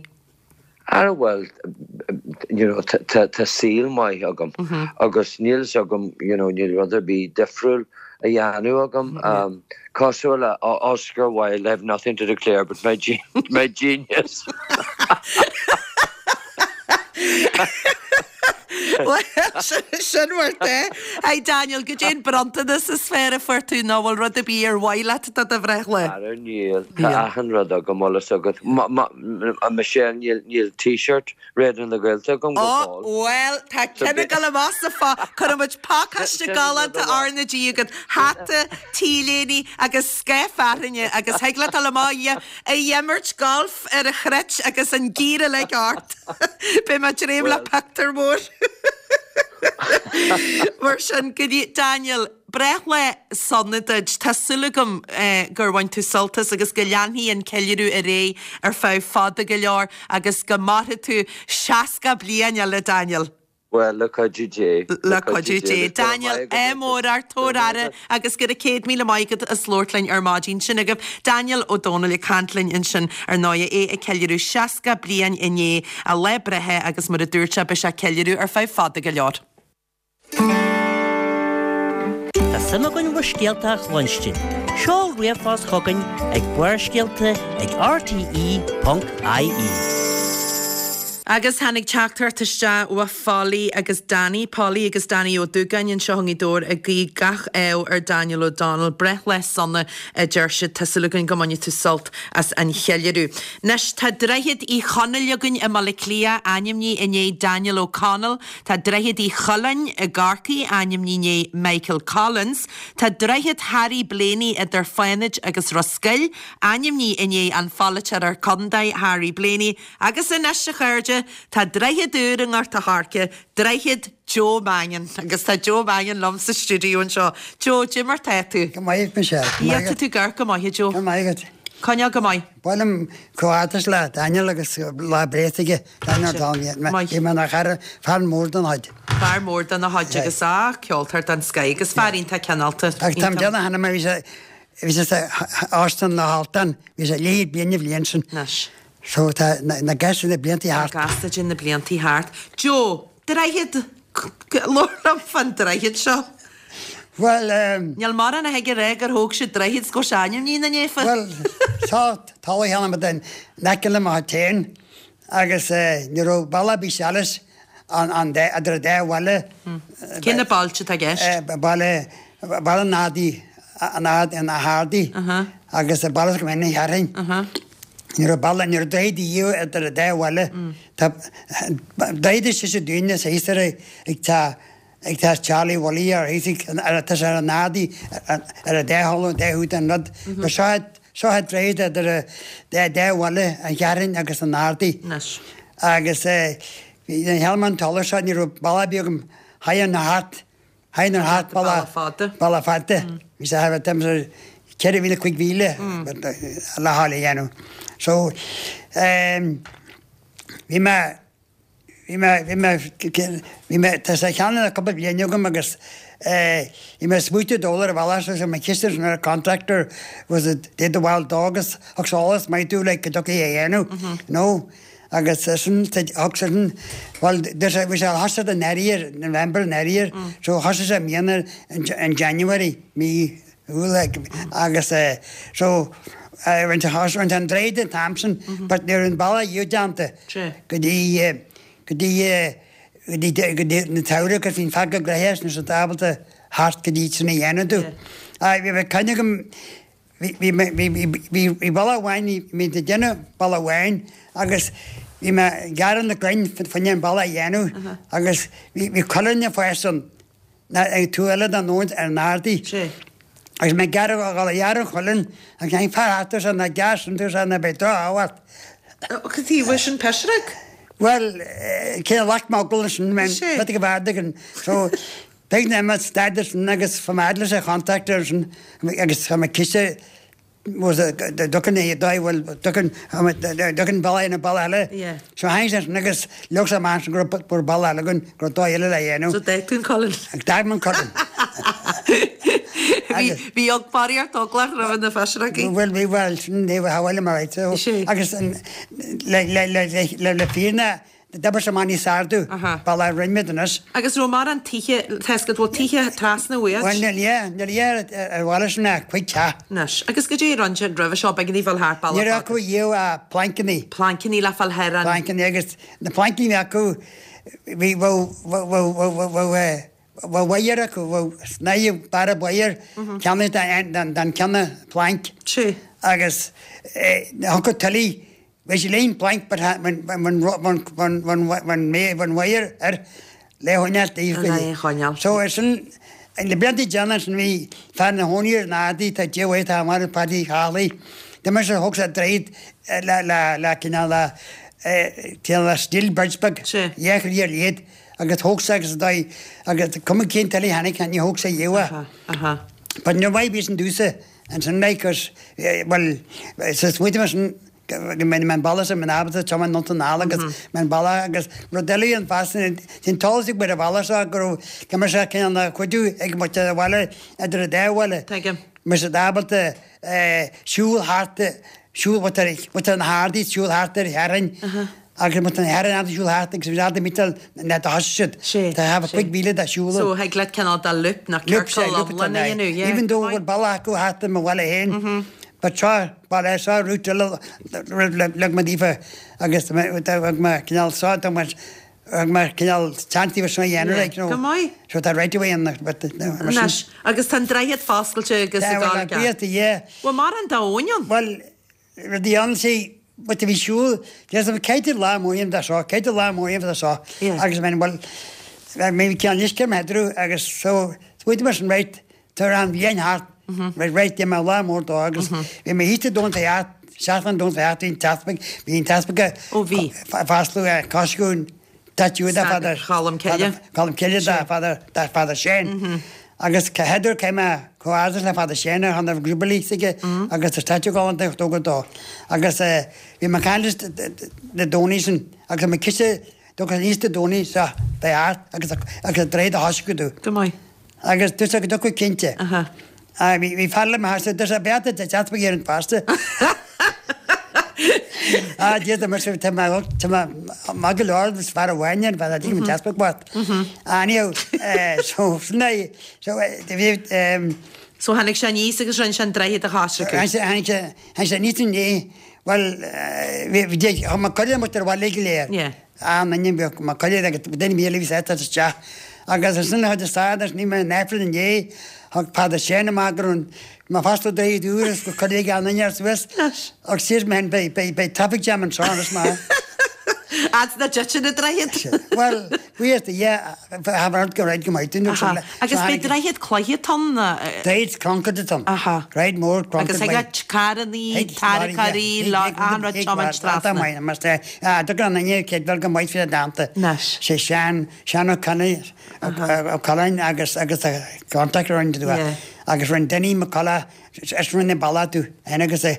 Ara bhuel, you know, tá saol maith agam agus níl fhios agam, you know, níl rud ar bith difriúil a dhéanamh agam. Cosúil le Oscar Wilde, I have nothing to declare but my my genius. Bhuel, sin mar atá. Hi Daniel, goidé an bronntanas is fearr a fuair tú nó bhfuil rud ar bith ar mhaith leat do do bhreithlá? Ara níl, tá achan rud agam, bhfuil fhios agat. Michelle, níl, níl t-shirt Raidió na Gaeltachta agam go Ó, fóill. bhuel, tá ceann ag dul amach sa pho, cuirfidh muid pacáiste galánta R na G agat, hata, t-léine agus scaif fearthainne agus thig leat dul amach ag imirt golf ar an chruit agus an gear uilig ort. Beidh mé ag dréim le pictiúr mór. Mar sin, go dtí, Daniel, breithlá sona duit. Tá súil agam gur bhain tú sult as agus go leanfaidh an ceiliúradh ar aghaidh ar feadh fada go leor agus go mairfidh tú 60 bliain eile, Daniel. Bhuel, le cuidiú Dé. Le cuidiú Dé. Daniel, ádh mór ort, tabhair aire agus go raibh 100,000 maith agat as labhairt linn ar maidin. Sin agaibh Daniel Ó Dónaill ag caint linn ansin ar ndóigh, é ag ceiliúradh 60 bliain inné, a lá breithe agus mar a dúirt sé beidh sé ag ceiliúradh ar feadh fada go leor. Tá suim againn bhur scéalta a chluinstin. Seol ríomhphost chugainn ag Barrscéalta ag rte.ie. Agus tháinig teachtaireacht isteach ó Pholly agus Danny, Polly agus Danny Ó Dúgáin anseo i nGaoth Dobhair ag guí gach ádh ar Daniel O'Donnell. Breithlá sona a deir siad. Tá súil againn go mbainfidh tú sult as an cheiliúradh. Anois tá Droichead Uí Chonaill againn i mBaile Átha Cliath, ainmnithe i ndiaidh Daniel O'Connell. Tá Droichead Uí Choileáin i gCorcaigh, ainmnithe i ndiaidh Michael Collins. Tá Droichead Harry Blaney idir Fánaid agus Ros Goill, ainmnithe i ndiaidh an pholaiteora contae Harry Blaney. Agus anois, a chairde, tá droichead úr i nGort a' Choirce, Droichead Joe Mannion. Agus tá Joe Mannion liom sa stiúideo anseo. Joe, goidé mar tá tú? Go maith, Michelle. Go maith agat. Tá tú ag amharc go maith, a Joe. Go maith agat. Coinneáil go maith. Ba mhaith liom comhghairdeas le Daniel agus lá breithe aige. Daniel O'Donnell. Maith. Bhí mé ina chara, fear mór den chuid. Fear mór den chuid agus a, ceoltóir den scoith agus fear iontach cineálta. Agus táim déanamh cheana mar bhí sé, bhí sé sa Óstán na hAltan, bhí sé leathchéad bliain an bhliain sin. Anois. So tá na gasta na bliantaí thart. Gasta de na bliantaí thart. Joe, droichead! Labhair liom fán droichead seo. Bhuel, ehm. Níl mórán a thig a rá gur thóg siad droichead 's go raibh sé ainmnithe ina ndiaidh. Bhuel, tá talamh cheana but in aice le mo theach féin agus ní raibh bealach ar bith seal an idir an dá bhaile. Cé na bailte atá i gceist? Baile, Baile an Ardaigh, an Ard, na hArdaí agus Baile na Fearthainn. Ní raibh bealach, ní raibh droichead a dhíobh idir an dá bhaile. Tá droichead is sise dúinne sa thíos ar ag tá ag tá Charlie Willie ar thíos ag ar tá sé ar an Ardaí ar an dá thalamh an dá thaobh den rud. But seo seo an droichead idir an dá dá bhaile an Cheatharthainn agus an Ardaí. Anois. Agus eh bhí an cheann an talamh seo ní raibh bealach ar bith agam thigh an thart Théinn ar thart Bealach fada. Bealach fada. Bhí sé thart ar 4,000, 5,000 le fáil a dhéanamh. So bhí mé, bhí mé, bhí mé, bhí mé, tá sé cheana le cúpla bliain agam agus bhí mé ag smaoitiú dul ar an bhealach seo, my sister an contractor was a did the wild dog agus thug sé eolas maith domh like go dtiocfaí a dhéanamh, you know. Agus sin, thug sin, bhuel, bhí sé thosaigh in Eanáir, November in Eanáir, so thosaigh sé i mbliana in January, mí Iúil agus so rinne sé an droichead an t-am sin but ní raibh an bealach dhíobh déanta go dtí, go dtí. go dtí go dtí na tsamhradh agus bhí'n fear go gnoitheach is nuair ábalta theacht go dtí sin a dhéanamh domh. Aye bhí bhí cuimhne agam bhí bhí mé bhí bhí bhí bhí bealach amháin bhí mé ag déanamh bealach amháin agus bhí mé ag gearradh na gcrainn fá choinne an bealach a dhéanamh agus bhí bhí cuileann ag fás ann ná ag taobh eile den abhainn ar an ardaí. Sé. Agus mé ag gearradh ag dul a ghearradh an chuileann agus tháinig fear thart arsa ná gearr sin arsa ná beidh droch-ádh ort. Cad taobh sin pisreog? Bhuel, cé a ghlac mogall leis sin, Sé. bheadh go bhfearr againn. So, beidh na mé staidéar sin agus chomh maith leis an contractor sin agus tá mé cinnte was a dtugann é dóigh bhfuil dtugann dtugann bealach ina bealach eile. Yeah. So tháinig sé sin agus leag sé amach sin go raibh go raibh bealach eile againn go raibh dóigh eile le dhéanamh. So d'fhág tú an colainn. Agus d'fhág mé an colainn. Bhí bhí og barraíocht eaglach roimh na pisreogaí. Bhuel bhí bhuel sin ní bheadh bhfuil mar right so Sé. agus an le le le le le le fírinne D'oibrigh sé amach níos fearr domh, bealach a rinne muid anois. Agus raibh mórán tithe, tá fhios agat, bhfuil tithe trasna uait? Bhuel, níl, yeah, níl, yeah, ar bhaile sin ach cuig teach. Anois, agus goidé a rinne siad roimhe seo, b'éigean daoibh fáil thart bealach Ní raibh fada. acu riamh ach plancannaí. Plancannaí le fáil thar an. Plancannaí agus na plancannaí a bhí acu, bhí, bheadh, bheadh, bheadh, bheadh, bheadh eh, bheadh wire acu, bheadh snáithe barbed wire ceannaithe den, den ceann planc. Sea. Agus eh, thiocfadh tuile Bhí sé léim planc but bhain wire air le choinneáil taobh Le choinneáil. So ar sin na blianta déanach sin bhí fear ina chónaí ar an Ardaí tá Dia uaidh tá marbh Paddy Charlie. D'imir sé thóg sé droichead le le le cineál le cineál le steel bridge beag. Sea. Dhá chroí ar leithead agus thóg sé agus dóigh agus cuma cén tuile a tháinig ní thóg sé riamh é. Aha, aha. But níor mhaith bhí sin domhsa ansin like 'cause bhuel sa smaointe mar sin go mbeidh mé an bealach sin ábalta tiomáint anonn anall agus mé an bealach agus rud eile an fear sin sin talamh ag ar an bhealach seo go raibh go mbeadh sé cineál ina chuidiú ag muintir an bhaile idir an dá bhaile. Tuigim. Mbeadh siad ábalta siúl thart siúl muintir na hArdaí siúl thart ar Shearthainn agus muintir na hEarra ábalta siúl thart agus bhí siad ábalta miotal na do thosaigh siad. Sé, Tá sé. 5,000 de siúl. So thig leat cineál de loop nó Loop, sé, ciorcal loop atá iomlán a ann, dhéanamh, yeah. Even though go bhfuil bealach acu thart i mo bhaile féin, but seo baile seo route eile leag mé daofa agus thug mé cineál seo thug mé thug mé cineál chance daofa seo a dhéanamh like, you know. Go maith. So tá right away in but mar sin. Anois, agus tá an droichead foscailte agus ag dul ag Bhuel, yeah. Bhfuil mórán d'abhainn ann? Bhuel, rudaí ann, see, but bhí siúl, there's a caithfidh lá mór de seo, caithfidh lá mór de seo, agus I mean, well, maybe ceann uisce ar m'headrú agus so, smaointigh mé sin, right, tar an bhliain thart, right, right, dhéan mé lá mór dó agus bhí mé thíos i dTóin Feart, seachtain i dTóin Feart, bhí an t-easpag, bhí an t-easpag Ó bhí. ag foscladh Coscún, statue de Father Cholm Cille. Colm Cille de Father de Father Shane. Agus c'fheadar cé mé chomh ard le Father Shane ar chun grúpa aige agus tá statue galánta ag tógáil dó. Agus bhí mé ag caint leis na Domhnaigh sin agus mé cinnte dócha níos de Domhnaigh seo beidh art agus agus droichead a thoisceadh domh. Go maith. Agus dúirt sé go dtiocfadh cinnte. Bhí fear le mo thaistil, dúirt sé beata de deaspa ar an pháiste. Ah, Dia do mise, tá mé tá mé maith go leor is fear amháin ar feadh an deaspa bocht. Anyhow, so sin é, so bhí So tháinig sé aníos agus rinne sé an droichead a choisriceadh. Tháinig sé tháinig sé aníos inné, bhuel bhí bhí mé cuireadh muid ar bhaile go léir. Yeah. An ainm bheadh Mac Coille agus duine míle bhí sáite isteach agus ansin chuid de stádas ní mé an Aifreann inné thug Peadar Séan amach go raibh mé fosta dréid úr is go cuireadh an inneach suas agus síos mé beidh beidh beidh traffic jam anseo anois mar Fhad na dtiteann na droichead. Bhuel buíochas do Dhia have heard go raibh go maith dúinn Aha. Agus beidh droichead cloiche ann? Droichead concrete atá ann. Aha. Droichead mór concrete. Agus thig le carrannaí, tarracóirí, achan rud tiomáint trasna. Tugann an duine céad go maith faoi dánta. Anois. Sé Seán, Seán Ó Coileáin, Ó Coileáin agus agus a contact a rinne tú agus rinne Dinny McCullough is rinne bealach tú féin agus a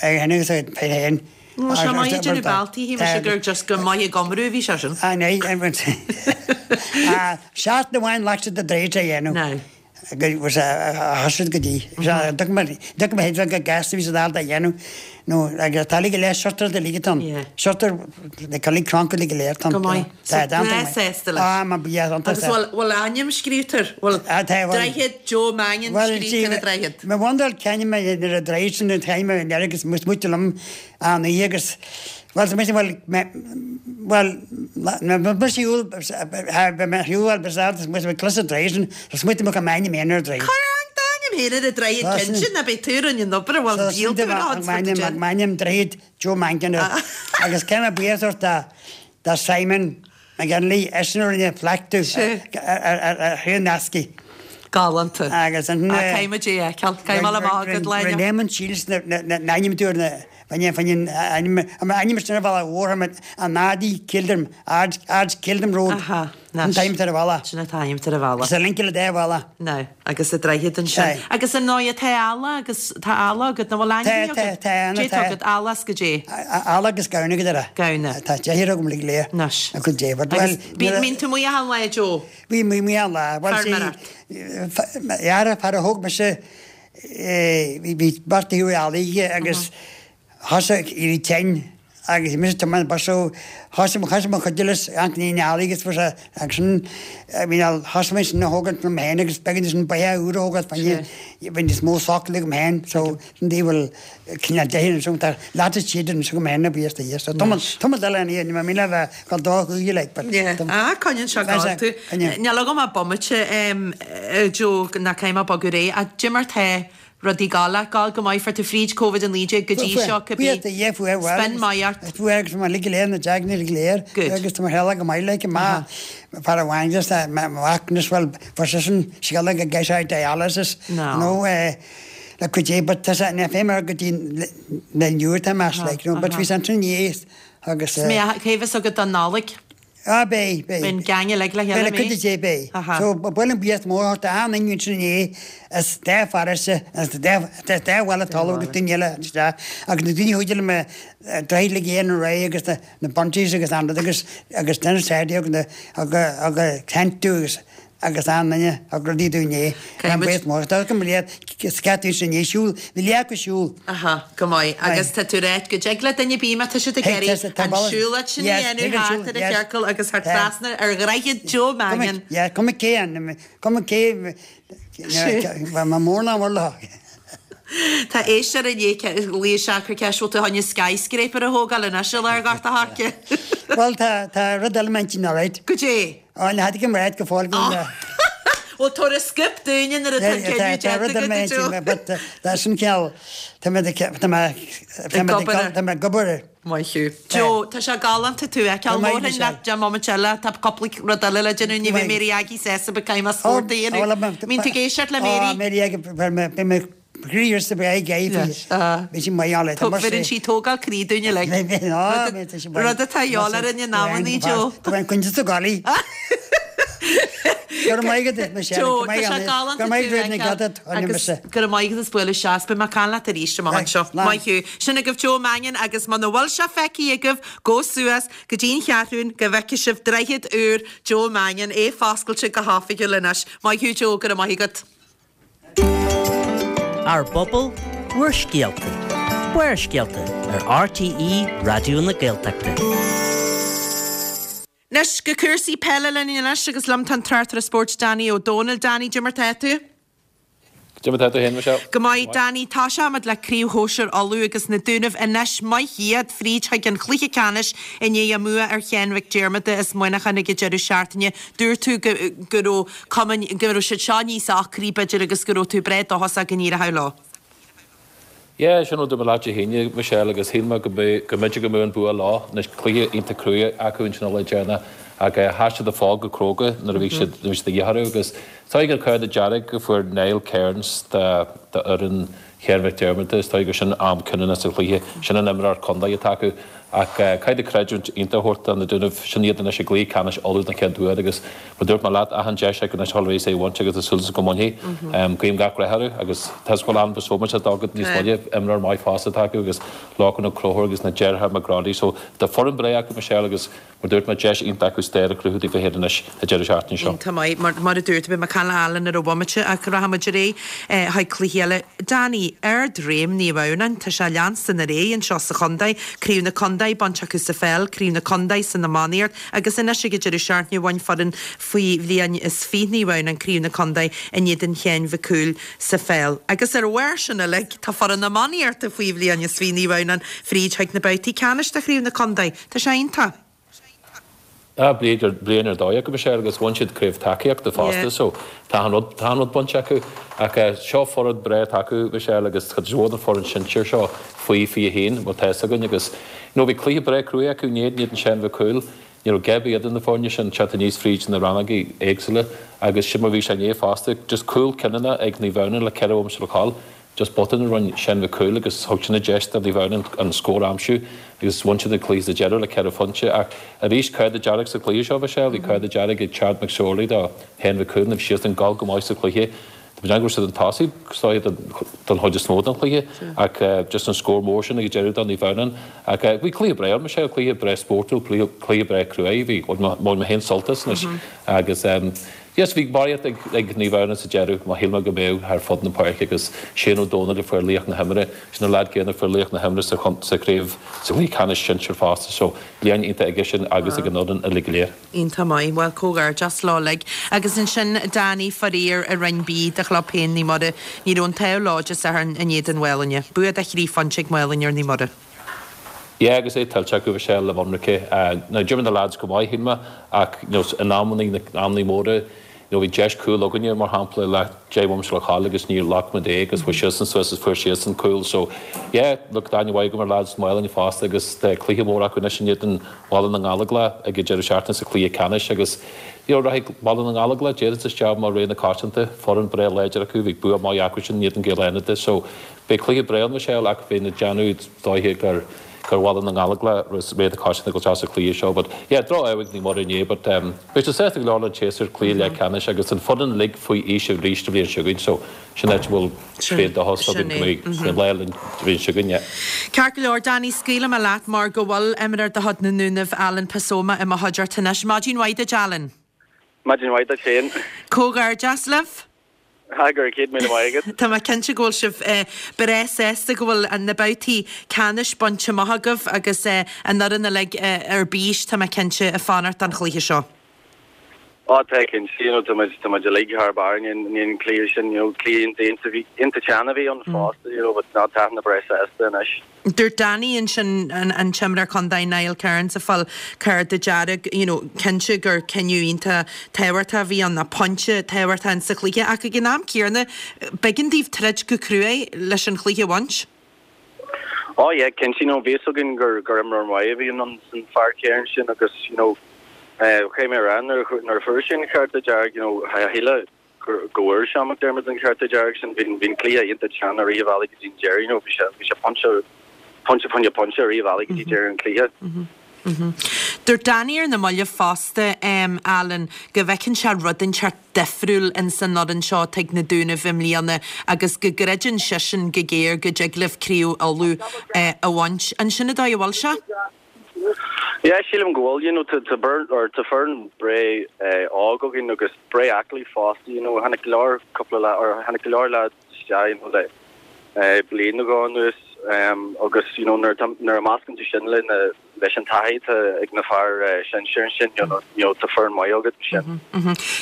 féin agus a féin. Bhí sé maith ag déanamh bealtaí, shíl mise gur just go maith ag iomrú a bhí sé sin. Ah, ní, seachtain amháin ghlac sé do droichead a dhéanamh. Now. Go thosaigh go dtí. D'fhag mé féin go gasta bhí siad ábalta a dhéanamh nó agus tá uilig go léir shortáilte uilig atá ann. Shortáil na coiligh cranncha uilig go léir atá ann. Go maith. So breá sásta leis. Ah, má bhí iontach Agus bhfuil bhfuil a ainm scríobhta air? Bhfuil droichead Joe Mannion scríobhta ar an droichead? Mo bhundáil ceann mé ar an droichead sin an time an agus muid liom an oíche agus. Bhuel, tá mise, bhuel, mé, bhuel, nuair a bhí mise ar shiúl, bhí mé ar shiúl bhuel, bhí mé, bhí mé cloiste an droichead sin, so smaointigh mé go mbeinn i m'aonar ar an droichead. Cuir an t-ainm féin ar an droichead cinnte, ná beidh tú a rinne an obair, bhuel, So, níl tú ar an smaointigh m'ainm droichead Joe Mangan air. Agus caithfidh mé buíochas a thabhairt do Simon McGinley, eisean a rinne plaic domh ar Shraith an Eascaigh. Galánta. Agus an. Ah, caithfidh muid é a fheiceáil. Caithfidh mé a amach agat, lá inniu. Rinne Eamon Shields na n-ainm domh ar na, fá choinne an ainm sin ar an bhealach mhór, an Ardee Kildrum, Ard, Ard Kildrum Road. Aha. Sin an t-ainm atá ar an bhealach. Sin an t-ainm atá ar an bhealach. Agus a link le dá bhealach. Now, agus an droichead ansin. Agus ar ndóigh, tá eallach agus tá eallach agat, nó bhfuil ainmhí agat? Tá, tá, tá. Cé tá agat, eallach is goidé? Eallach agus gamhna agat ar a. Gamhna. Tá deichniúr agam uilig léir. Anois. A cuid dé. Agus bíonn tú amuigh achan lá, Joe? Bím amuigh achan lá. Feirmeoireacht. Fhear, fear a thóg mise, bhí beirt acu eallaigh aige agus Thosaigh ag éirí tinn agus bhí mise ag tiomáint bus so thosaigh thosaigh mo chuid eolais ag an eallaigh agus fuair sé agus sin bhí na thosaigh mé sin a thógaint liom féin agus b'éigean sin beithe úr a thógáil fá choinne bhí níos mó socail agam féin so sin daoibh bhfuil cineál deich ansin tá leat is siad ansin agam féin a bhí is do so tá tá mé dul an ní mé le bheith go dá chúige like but Yeah ah coinníonn sé ag tú. Níl agam ach bomaite Joe ná caithfidh mé bogadh ar aghaidh ach cad é mar tá Rudaí ag gabháil, ag gabháil go maith, fuair tú fríd Covid-19 go dtí seo, cibé. Spin maith ort. Fuair agus mé uilig go léir, na deagnaí uilig go léir. Good. Agus tá mo theaghlach go maith like, ma, fear amháin just mo mhac anois bhuel fuair seisean scéala go gcaithfidh sé dialysis. No. No eh le cuid é but tá sé ní féin mar go dtí le inniu atá mé like, you know, but bhí sé ansin inné agus eh. Cé bheas agat don Nollaig? Ah, beidh, beidh. Beidh an gang uilig le chéile, Beidh le cuid de, beidh. Aha. So, ba mhaith liom buíochas mór a thabhairt d'achan duine ansin inné as dá pharóiste, as dá, as dá bhaile talamh agus daoine eile isteach agus na daoine a chuidigh liom droichead uilig a dhéanamh réidh agus na, na bunties agus an rud agus, agus Dennis Hardy agus na, agus, agus tent agus, agus achan duine a thug rudaí dúinn inné. Caithfidh muid. Buíochas mór. Tá go mbeidh scaití ansin inné siúl, bhí leath acu siúl. Aha, go maith. Agus tá tú ag ráit go dtig le duine ar bith má tá siad ag iarraidh an siúlóid sin a dhéanamh thart ar an chiorcal agus thar trasna ar dhroichead Joe Mangan. Yeah, cuma cé an, cuma cé, ma mór ná mór leo. Tá éisteoir i ndiaidh glaoch isteach ag cur ceist bhfuil tú chun skyscraper a thógáil anois i lár Ghort a' Choirce. Bhuel, tá rud eile i m'intinn alright. Goidé? Á, ní fheadar cén rud go fóill go bhfuil. Bhuel, tabhair an scoop dúinne nuair atá an cinneadh déanta agat, a Joe. But tá sin cineál, tá mé, tá mé, tá mé, tá mé ag obair air. Maith thú. Joe, tá sé galánta tú a fheiceáil. Labharfainn leat deich mbomaite eile, tá cúpla rud eile le déanamh, ní bheidh Mary Aggie sásta but caithfidh mé spórt a dhéanamh. Mbíonn tú ag éisteacht le Mary? Á, Mary Aggie, beidh mé Croí ar sa bheidh ag Bhí sí maith ann le tamall. Bheireann sí tógáil croí dúinn uilig. Rud atá a dhíobháil orainn in amannaí, Joe. Tá mé coinnte sa gcaillí. Go raibh maith agat, Michelle. Joe, tá sé galánta tú a fheiceáil agus go raibh maith agat as bualadh isteach. Beidh mé ag caint leat arís amach anseo. Maith thú. Sin agaibh Joe Mannion agus muna bhfuil sé feicthe agaibh, gabh suas go dtí an Cheathrún go bhfeicfidh sibh droichead úr Joe Mannion, é foscailte go hoifigiúil anois. Maith thú Joe, go raibh maith agat. Ár bpobal, bhur scéalta. Barrscéalta ar RTÉ Raidió na Gaeltachta. Anois go cúrsaí peile linn anois agus liom tá an tráchtaire spóirt Danny Ó Dónaill. Danny, cad é mar tá tú? Cad é mar tá tú féin, Michelle? Go maith, Danny. Toiseoimid le Craobh Shóisir Uladh agus na Dúnaibh anois. Maith iad, fríd chuig an chluiche ceannais i ndiaidh a mbua ar Sheán Mhic Diarmada as Muineachán ag an deireadh seachtaine. Dúirt tú go go raibh cuma, go raibh siad seo níos ocraí, b'fhéidir, agus go raibh tú breá dóchasach go n-éireoidh leo. Yeah, sin rud a dúirt mé leat Dé hAoine, Michelle, agus shíl mé go mbeadh, go mb'fhéidir go mbeadh an bua leo. Anois, cluiche iontach crua acu ansin an lá deireanach ach sheas siad an fód go cróga nuair a bhí siad, nuair a bhí siad de dhíth orthu agus is dóigh gur cárta dearg a fuair Niall Kearns do, d'fhoireann Sheáin Mhic Diarmada, is dóigh gur sin am cinniúnach sa chluiche. Sin an imreoir contae atá acu. Ach caithfidh tú creidiúint iontach a thabhairt do na Dúnaibh, sin iad anois i gcluiche ceannais Uladh den chéad uair agus mar dúirt mé leat, achan deis acu anois a dhul ar aghaidh is é a bhaint agus tá súil agam go mbainfidh. Guím gach rath orthu agus tá 'fhios go bhfuil Alan Bosomage á dtógáil níos moille, imreoir maith fosta atá acu agus Lorcan Ó Conchúir agus na deartháireacha McGroddy. So tá foireann breá acu Michelle agus Mar dúirt mé, deis iontach acu stair a chruthú daofa féin anois an deireadh seachtaine seo. Iontach maith. Mar a dúirt, beidh mé ag caint le Alan ar bhomaite ach rachaidh muid ar aghaidh chuig cluichí eile. Danny, Ard-réim Naomh Adhamhnáin, tá sé ag leanstan ar aghaidh anseo sa chontae, Craobh na Contae. Chontae bainte acu sa pheil, Craobh na Contae san iománaíocht agus anois ag an deireadh seachtaine bhain foireann faoi bhliain is 20 Naomh Adhamhnáin Craobh na Contae in éadan Sheáin Mhic Cumhaill sa pheil. Agus ar bharr sin uilig, tá foireann iománaíochta faoi bhliain is 20 Naomh Adhamhnáin fríd chuig na babhtaí ceannais de Chraobh na Contae. Tá sé iontach. Ah, bliain ar dóigh acu, Michelle, agus bhain siad craobh tacaíochta fosta, so tá an rud, tá an rud bainte acu. Ach seo foireann breá atá acu, Michelle, agus cuid mhór den foireann sinsir seo faoi 21, bhuel tá fhios againn, agus you know bhí cluiche breá cruaidh acu inné in éadan Seán Mhic Cumhaill, ní raibh gap idir na foirne sin teacht aníos fríd na rannógaí éagsúla agus sin mar bhí sé inné fosta, just cúl cinniúnach ag Naomh Adhamhnáin le 4 bhomaite le ghabháil. Just botún a rinne Seán Mhic Cumhaill agus thug sin an deis do Naomh Adhamhnáin an scór a aimsiú agus bhain siad an cluiche sa deireadh le 4 phointe. Ach arís, cárta dearg sa chluiche seo, Michelle. Bhí cárta dearg ag Chad McSorley do Sheán Mhic Cumhaill. Bhí siadsan ag gabháil go maith sa chluiche. Tá mé ag déanamh go raibh siad chun tosaigh is dóiche don chuid is mó den chluiche ach just an scór mór sin ag an deireadh do Naomh Adhamhnáin. Ach bhí cluiche breá ann, Michelle, cluiche breá spórtúil, cluiche breá cruaidh. Bhí, bhain mé féin sult as anois agus Yes, bhí barraíocht ag Naomh Adhamhnáin sa deireadh, mar shíl mé go mbeadh, thar fud na páirce agus Shane Ó Dónaill a fuair laoch na himeartha, sin an leaid céanna a fuair laoch na himeartha sa sa chraobh, sa chluiche ceannais sinsir fosta, so bliain iontach aige sin agus ag an fhoireann uilig go léir. Iontach maith. Bhuel, comhghairdeas leo uilig. Agus ansin Danny, faraor, i Roinn B do chlub féin Naomh Muire, ní raibh an t-ádh leo Dé Sathairn in éadan Mhálainne. Bua de thrí phointe ag Málainn ar Naomh Muire. Yeah agus é tuillte acu Michelle le hionraice. Now d'imir na lads go maith shíl mé ach you know in amannaí na amannaí móra you know bhí deis cúl againne mar shampla le 10 bhomaite le ghabháil agus níor ghlac muid é agus chuaigh siadsan suas is fuair siadsan cúl so yeah look tá aithne mhaith agam ar lads Mhálainn fosta agus tá cluiche mór acu anois in éadan Bhaile na nGallóglach ag an deireadh seachtaine sa chluiche ceannais agus you know rachaidh Baile na nGallóglach déarfainn isteach mar rogha na coitianta foireann breá láidir acu bhí bua maith acu sin in éadan Gaeil Fhánada so Beidh cluiche breá ann, Michelle, ach bheinn ag déanamh is dóiche gur gur Bhaile na nGallóglach rogha na coitianta ag dul isteach sa chluiche seo. But yeah, droch-ádh ag Naomh Muire inné but um, beidh siad sásta go leor le an tséasúr cluiche leathcheannais agus an foireann uilig faoi aois arís an bhliain seo chugainn so sin áit a bhfuil tréan dóchas againn go mbeidh an lá linn an bhliain seo chugainn, yeah. Ceart go leor, Danny, scaoilfidh mé leat mar go bhfuil imreoir de chuid na nDúnaibh, Alan Pasoma, i mo chuideachta anois. Maidin mhaith duit, Alan. Maidin mhaith duit féin. Comhghairdeas libh. Go raibh 100,000 maith agat. Tá mé cinnte go bhfuil sibh breá sásta go bhfuil na babhtaí ceannais bainte amach agaibh agus an fhoireann uilig ar bís, tá mé cinnte, ag fanacht don chluiche seo. Á tá cinnte, you know, tá muid, tá muid uilig thar barr i ndiaidh an cluiche sin, you know, cluiche iontach, iontach teann a bhí ann fosta, you know, but ná tá muid breá sásta anois. Dúirt Danny ansin, an t-imreoir contae Niall Kearns ag fáil cárta dearg, you know, cinnte gur cinneadh iontach tábhachtach a bhí ann, nó pointe tábhachtach in sa chluiche ach ag an am céanna b'éigean daoibh troid go cruaidh leis an chluiche a bhaint. Oh yeah, cinnte, you know, bhí fhios againn gur gur imreoir maith a bhí in san fear Kearns sin agus, you know, eh, caithfidh mé a rá nuair nuair a fuair sé an cárta dearg, you know, shíl mé go bhfuair Seán McDermott an cárta dearg sin. Bhí an cluiche iontach teann i rith an bhealaigh go dtí an deireadh, you know, bhí sé, bhí sé pointe, pointe fá choinne pointe i rith an bhealaigh go dtí deireadh an chluiche. Dúirt Danny ar na mallaibh fosta, Alan, go bhfeiceann sé rud inteacht difriúil in san fhoireann seo atá ag na Dúnaibh i mbliana agus go gcreideann seisean go géar go dtig libh Craobh Uladh a bhaint. An sin an dóigh a bhfuil sé? Yeah, sílim go bhfuil, you know, tá tá or tá foireann breá óg againn agus breá aclaí fosta, you know, tháinig go leor cúpla la or tháinig go leor lads isteach, you know, le bliain nó dhó anuas agus, you know, nuair atá nuair a meascann tú sin le na leis an taithí atá ag na fear sinsir ansin, you know, you know, tá foireann maith agat ansin.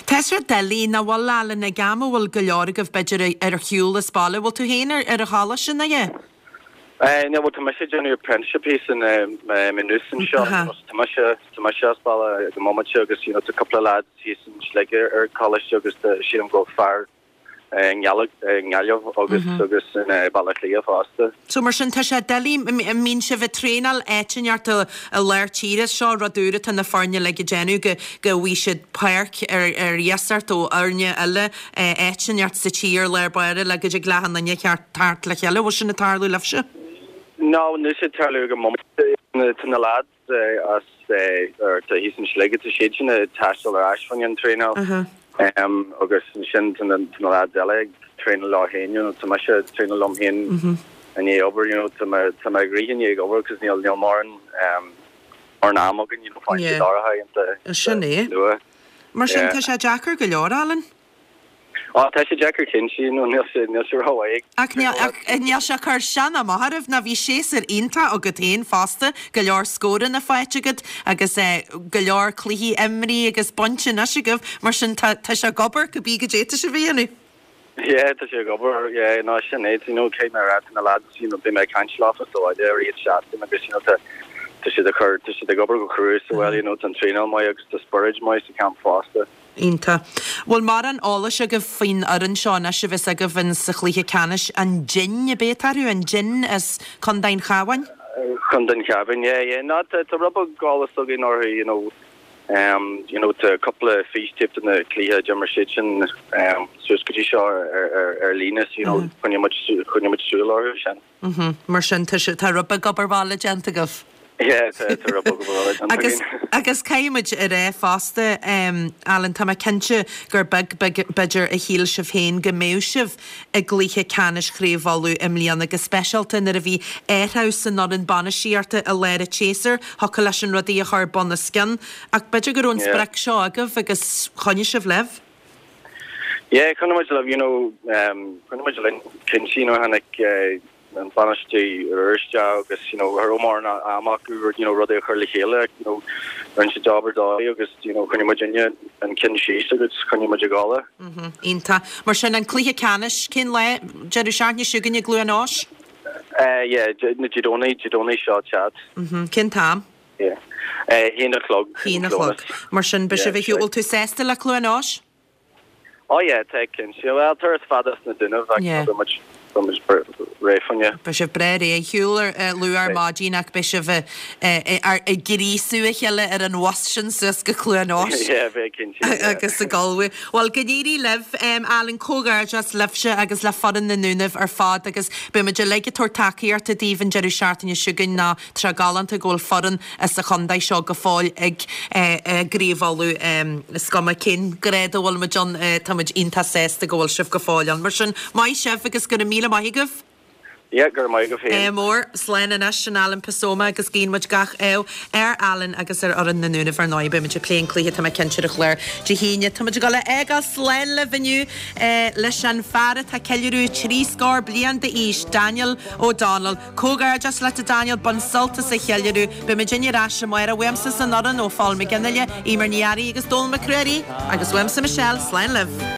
Tá sé doiligh, nach bhfuil, Alan, ag am a bhfuil go leor agaibh b'fhéidir ar shiúl as baile, bhfuil tú féin ar ar an choláiste, nach ea? No, bhuel, tá mise ag déanamh apprenticeship thíos in Maynooth anseo, you know, so tá mise, tá mise as baile ag an mbomaite agus, you know, tá cúpla lads thíos in Sligeach ar coláiste agus tá, sílim go bhfuil fear i nGaillimh agus, agus in Baile Átha Cliath fosta. So mar sin, tá sé doiligh, an mbíonn sibh ag traenáil áit inteacht i lár tíre, seo rud úr atá na foirne uilig ag déanamh, go, go bhfaighidh siad páirc ar, ar iasacht ó fhoirne eile, áit inteacht sa tír lár báire le go dtig le achan duine teacht le chéile. Bhfuil sin ag tarlú libhse? No, níl sé ag tarlú ag an mbomaite. Tá na lads as or tá thíos in Sligeach, tá siad sin ag taisteal ar ais fá choinne an traenáil agus ansin tá na tá na lads eile ag traenáil leo féin, you know, tá mise ag traenáil liom féin i ndiaidh obair, you know, tá mé tá mé ag rith i ndiaidh obair cos níl níl mórán mórán am againn, you know, faigheann siad áirithe ionta Sin é. luath. Mar sin tá sé deacair go leor, Alan. Á, tá sé deacair cinnte, you know, níl sé, níl sé rómhaith ag. Ach níl, ach níl sé ag cur isteach ná amach oraibh, nó bhí séasúr iontach agat féin fosta, go leor scóranna faighte agat agus eh go leor cluichí imrithe agus bainte anois agaibh, mar sin tá, tá sé ag obair cibé goidé atá sibh a dhéanamh. Yeah, tá sé ag obair, yeah, no, sin é, you know, caithfidh mé a rá, tá na lads, you know, bhí mé ag caint leofa sa bhaile i rith an tseachtain agus, you know, tá, tá siad ag cur, tá siad ag obair go crua sa bhaile, you know, tá an traenáil maith agus tá spiorad maith sa camp fosta. Iontach. Bhfuil mórán eolais agaibh faoin fhoireann seo anois a bheas agaibh in sa chluiche ceannais? An Dinn, ab é atá orthu? An Dinn as Contae an Chabháin? Contae an Chabháin, yeah, yeah. No, tá, tá rud beag eolas againn orthu, you know, um, you know, tá cúpla fístape de na cluiche a d'imir siad sin um, suas go dtí seo ar, ar, ar líne, so, you know, choinnigh muid, choinnigh muid súil orthu sin. Mar sin, tá sé, tá rud beag obair bhaile déanta agaibh. Yeah, tá, tá rud beag obair bhaile déanta Agus, againn. agus caithfidh muid a rá fosta, Alan, tá mé cinnte gur beag, beag, b'fhéidir, a shíl sibh féin go mbeadh sibh i gcluiche ceannais Chraobh Uladh i mbliana, go speisialta nuair a bhí athrú san fhoireann bainistíochta i lár an tséasúir, thiocfadh leis sin rudaí a chur bun os cionn. Ach b'fhéidir go raibh an Yeah. sprioc seo agaibh agus choinnigh sibh libh. Yeah, choinnigh muid libh, you know, um, choinnigh muid linn cinnte, you know, tháinig eh, an bainisteoir úr isteach agus, you know, cha raibh mórán ama acu, you know, rudaí a chur le chéile, you know, rinne siad obair dóigh agus, you know, choinnigh muidinne an ceann síos agus choinnigh muid ag gabháil. Mhm, iontach. Mar sin, an cluiche ceannais, cén lá? Deireadh seachtaine seo chugainn i gCluain Eois? Eh, yeah, Dé Domhnaigh, Dé Domhnaigh seo ag teacht. Mhm, cén t-am? Yeah. Eh, haon a chlog. Haon a chlog. Mar sin, beidh sibh ar shiúl. Bhfuil tú sásta le Cluain Eois? Oh yeah, tá cinnte. Bhuel, turas fada sna Dúnaibh ach Yeah. beidh muid, beidh muid réidh fá choinne. Beidh sibh breá réidh ar shiúl ar luath ar maidin ach beidh sibh ag gríosú a chéile ar an bhus sin suas go Cluain Eois. Yeah, beidh cinnte. Yeah. Agus ag ullmhú. Bhuel, go n-éirí libh, Alan, comhghairdeas libhse agus le foireann na nDúnaibh ar fad agus beidh muid uilig ag tabhairt tacaíochta daoibh an deireadh seachtaine seo chugainn ná Tá sé galánta go bhfuil foireann as an chontae seo go fóill ag i gCraobh Uladh. Is cuma cén grád a bhfuil muid ann, tá muid iontach sásta go bhfuil sibh go fóill ann. Mar sin, maith sibh agus go raibh míle maith agaibh. Yeah, go raibh maith agaibh féin. Ádh mór. Slán anois, sin Alan Pasoma agus guíonn muid gach ádh ar Alan agus ar fhoireann na nDúnaibh ar ndóigh. Beidh muid ag plé an cluiche, tá mé cinnte ar an chlár Dé hAoine. Tá muid ag dul a fhágáil slán libh inniu leis an fear atá ag ceiliúradh trí scór bliain d'aois, Daniel O'Donnell. Comhghairdeas leat a Daniel, bain sult as an cheiliúradh. Beidh muidinne ar ais amárach uaimse san fhoireann ó Phól Mac Fhionnghaile, Eimear Ní Fhearraigh agus Dónal Mac Ruairí agus uaimse Michelle, slán libh.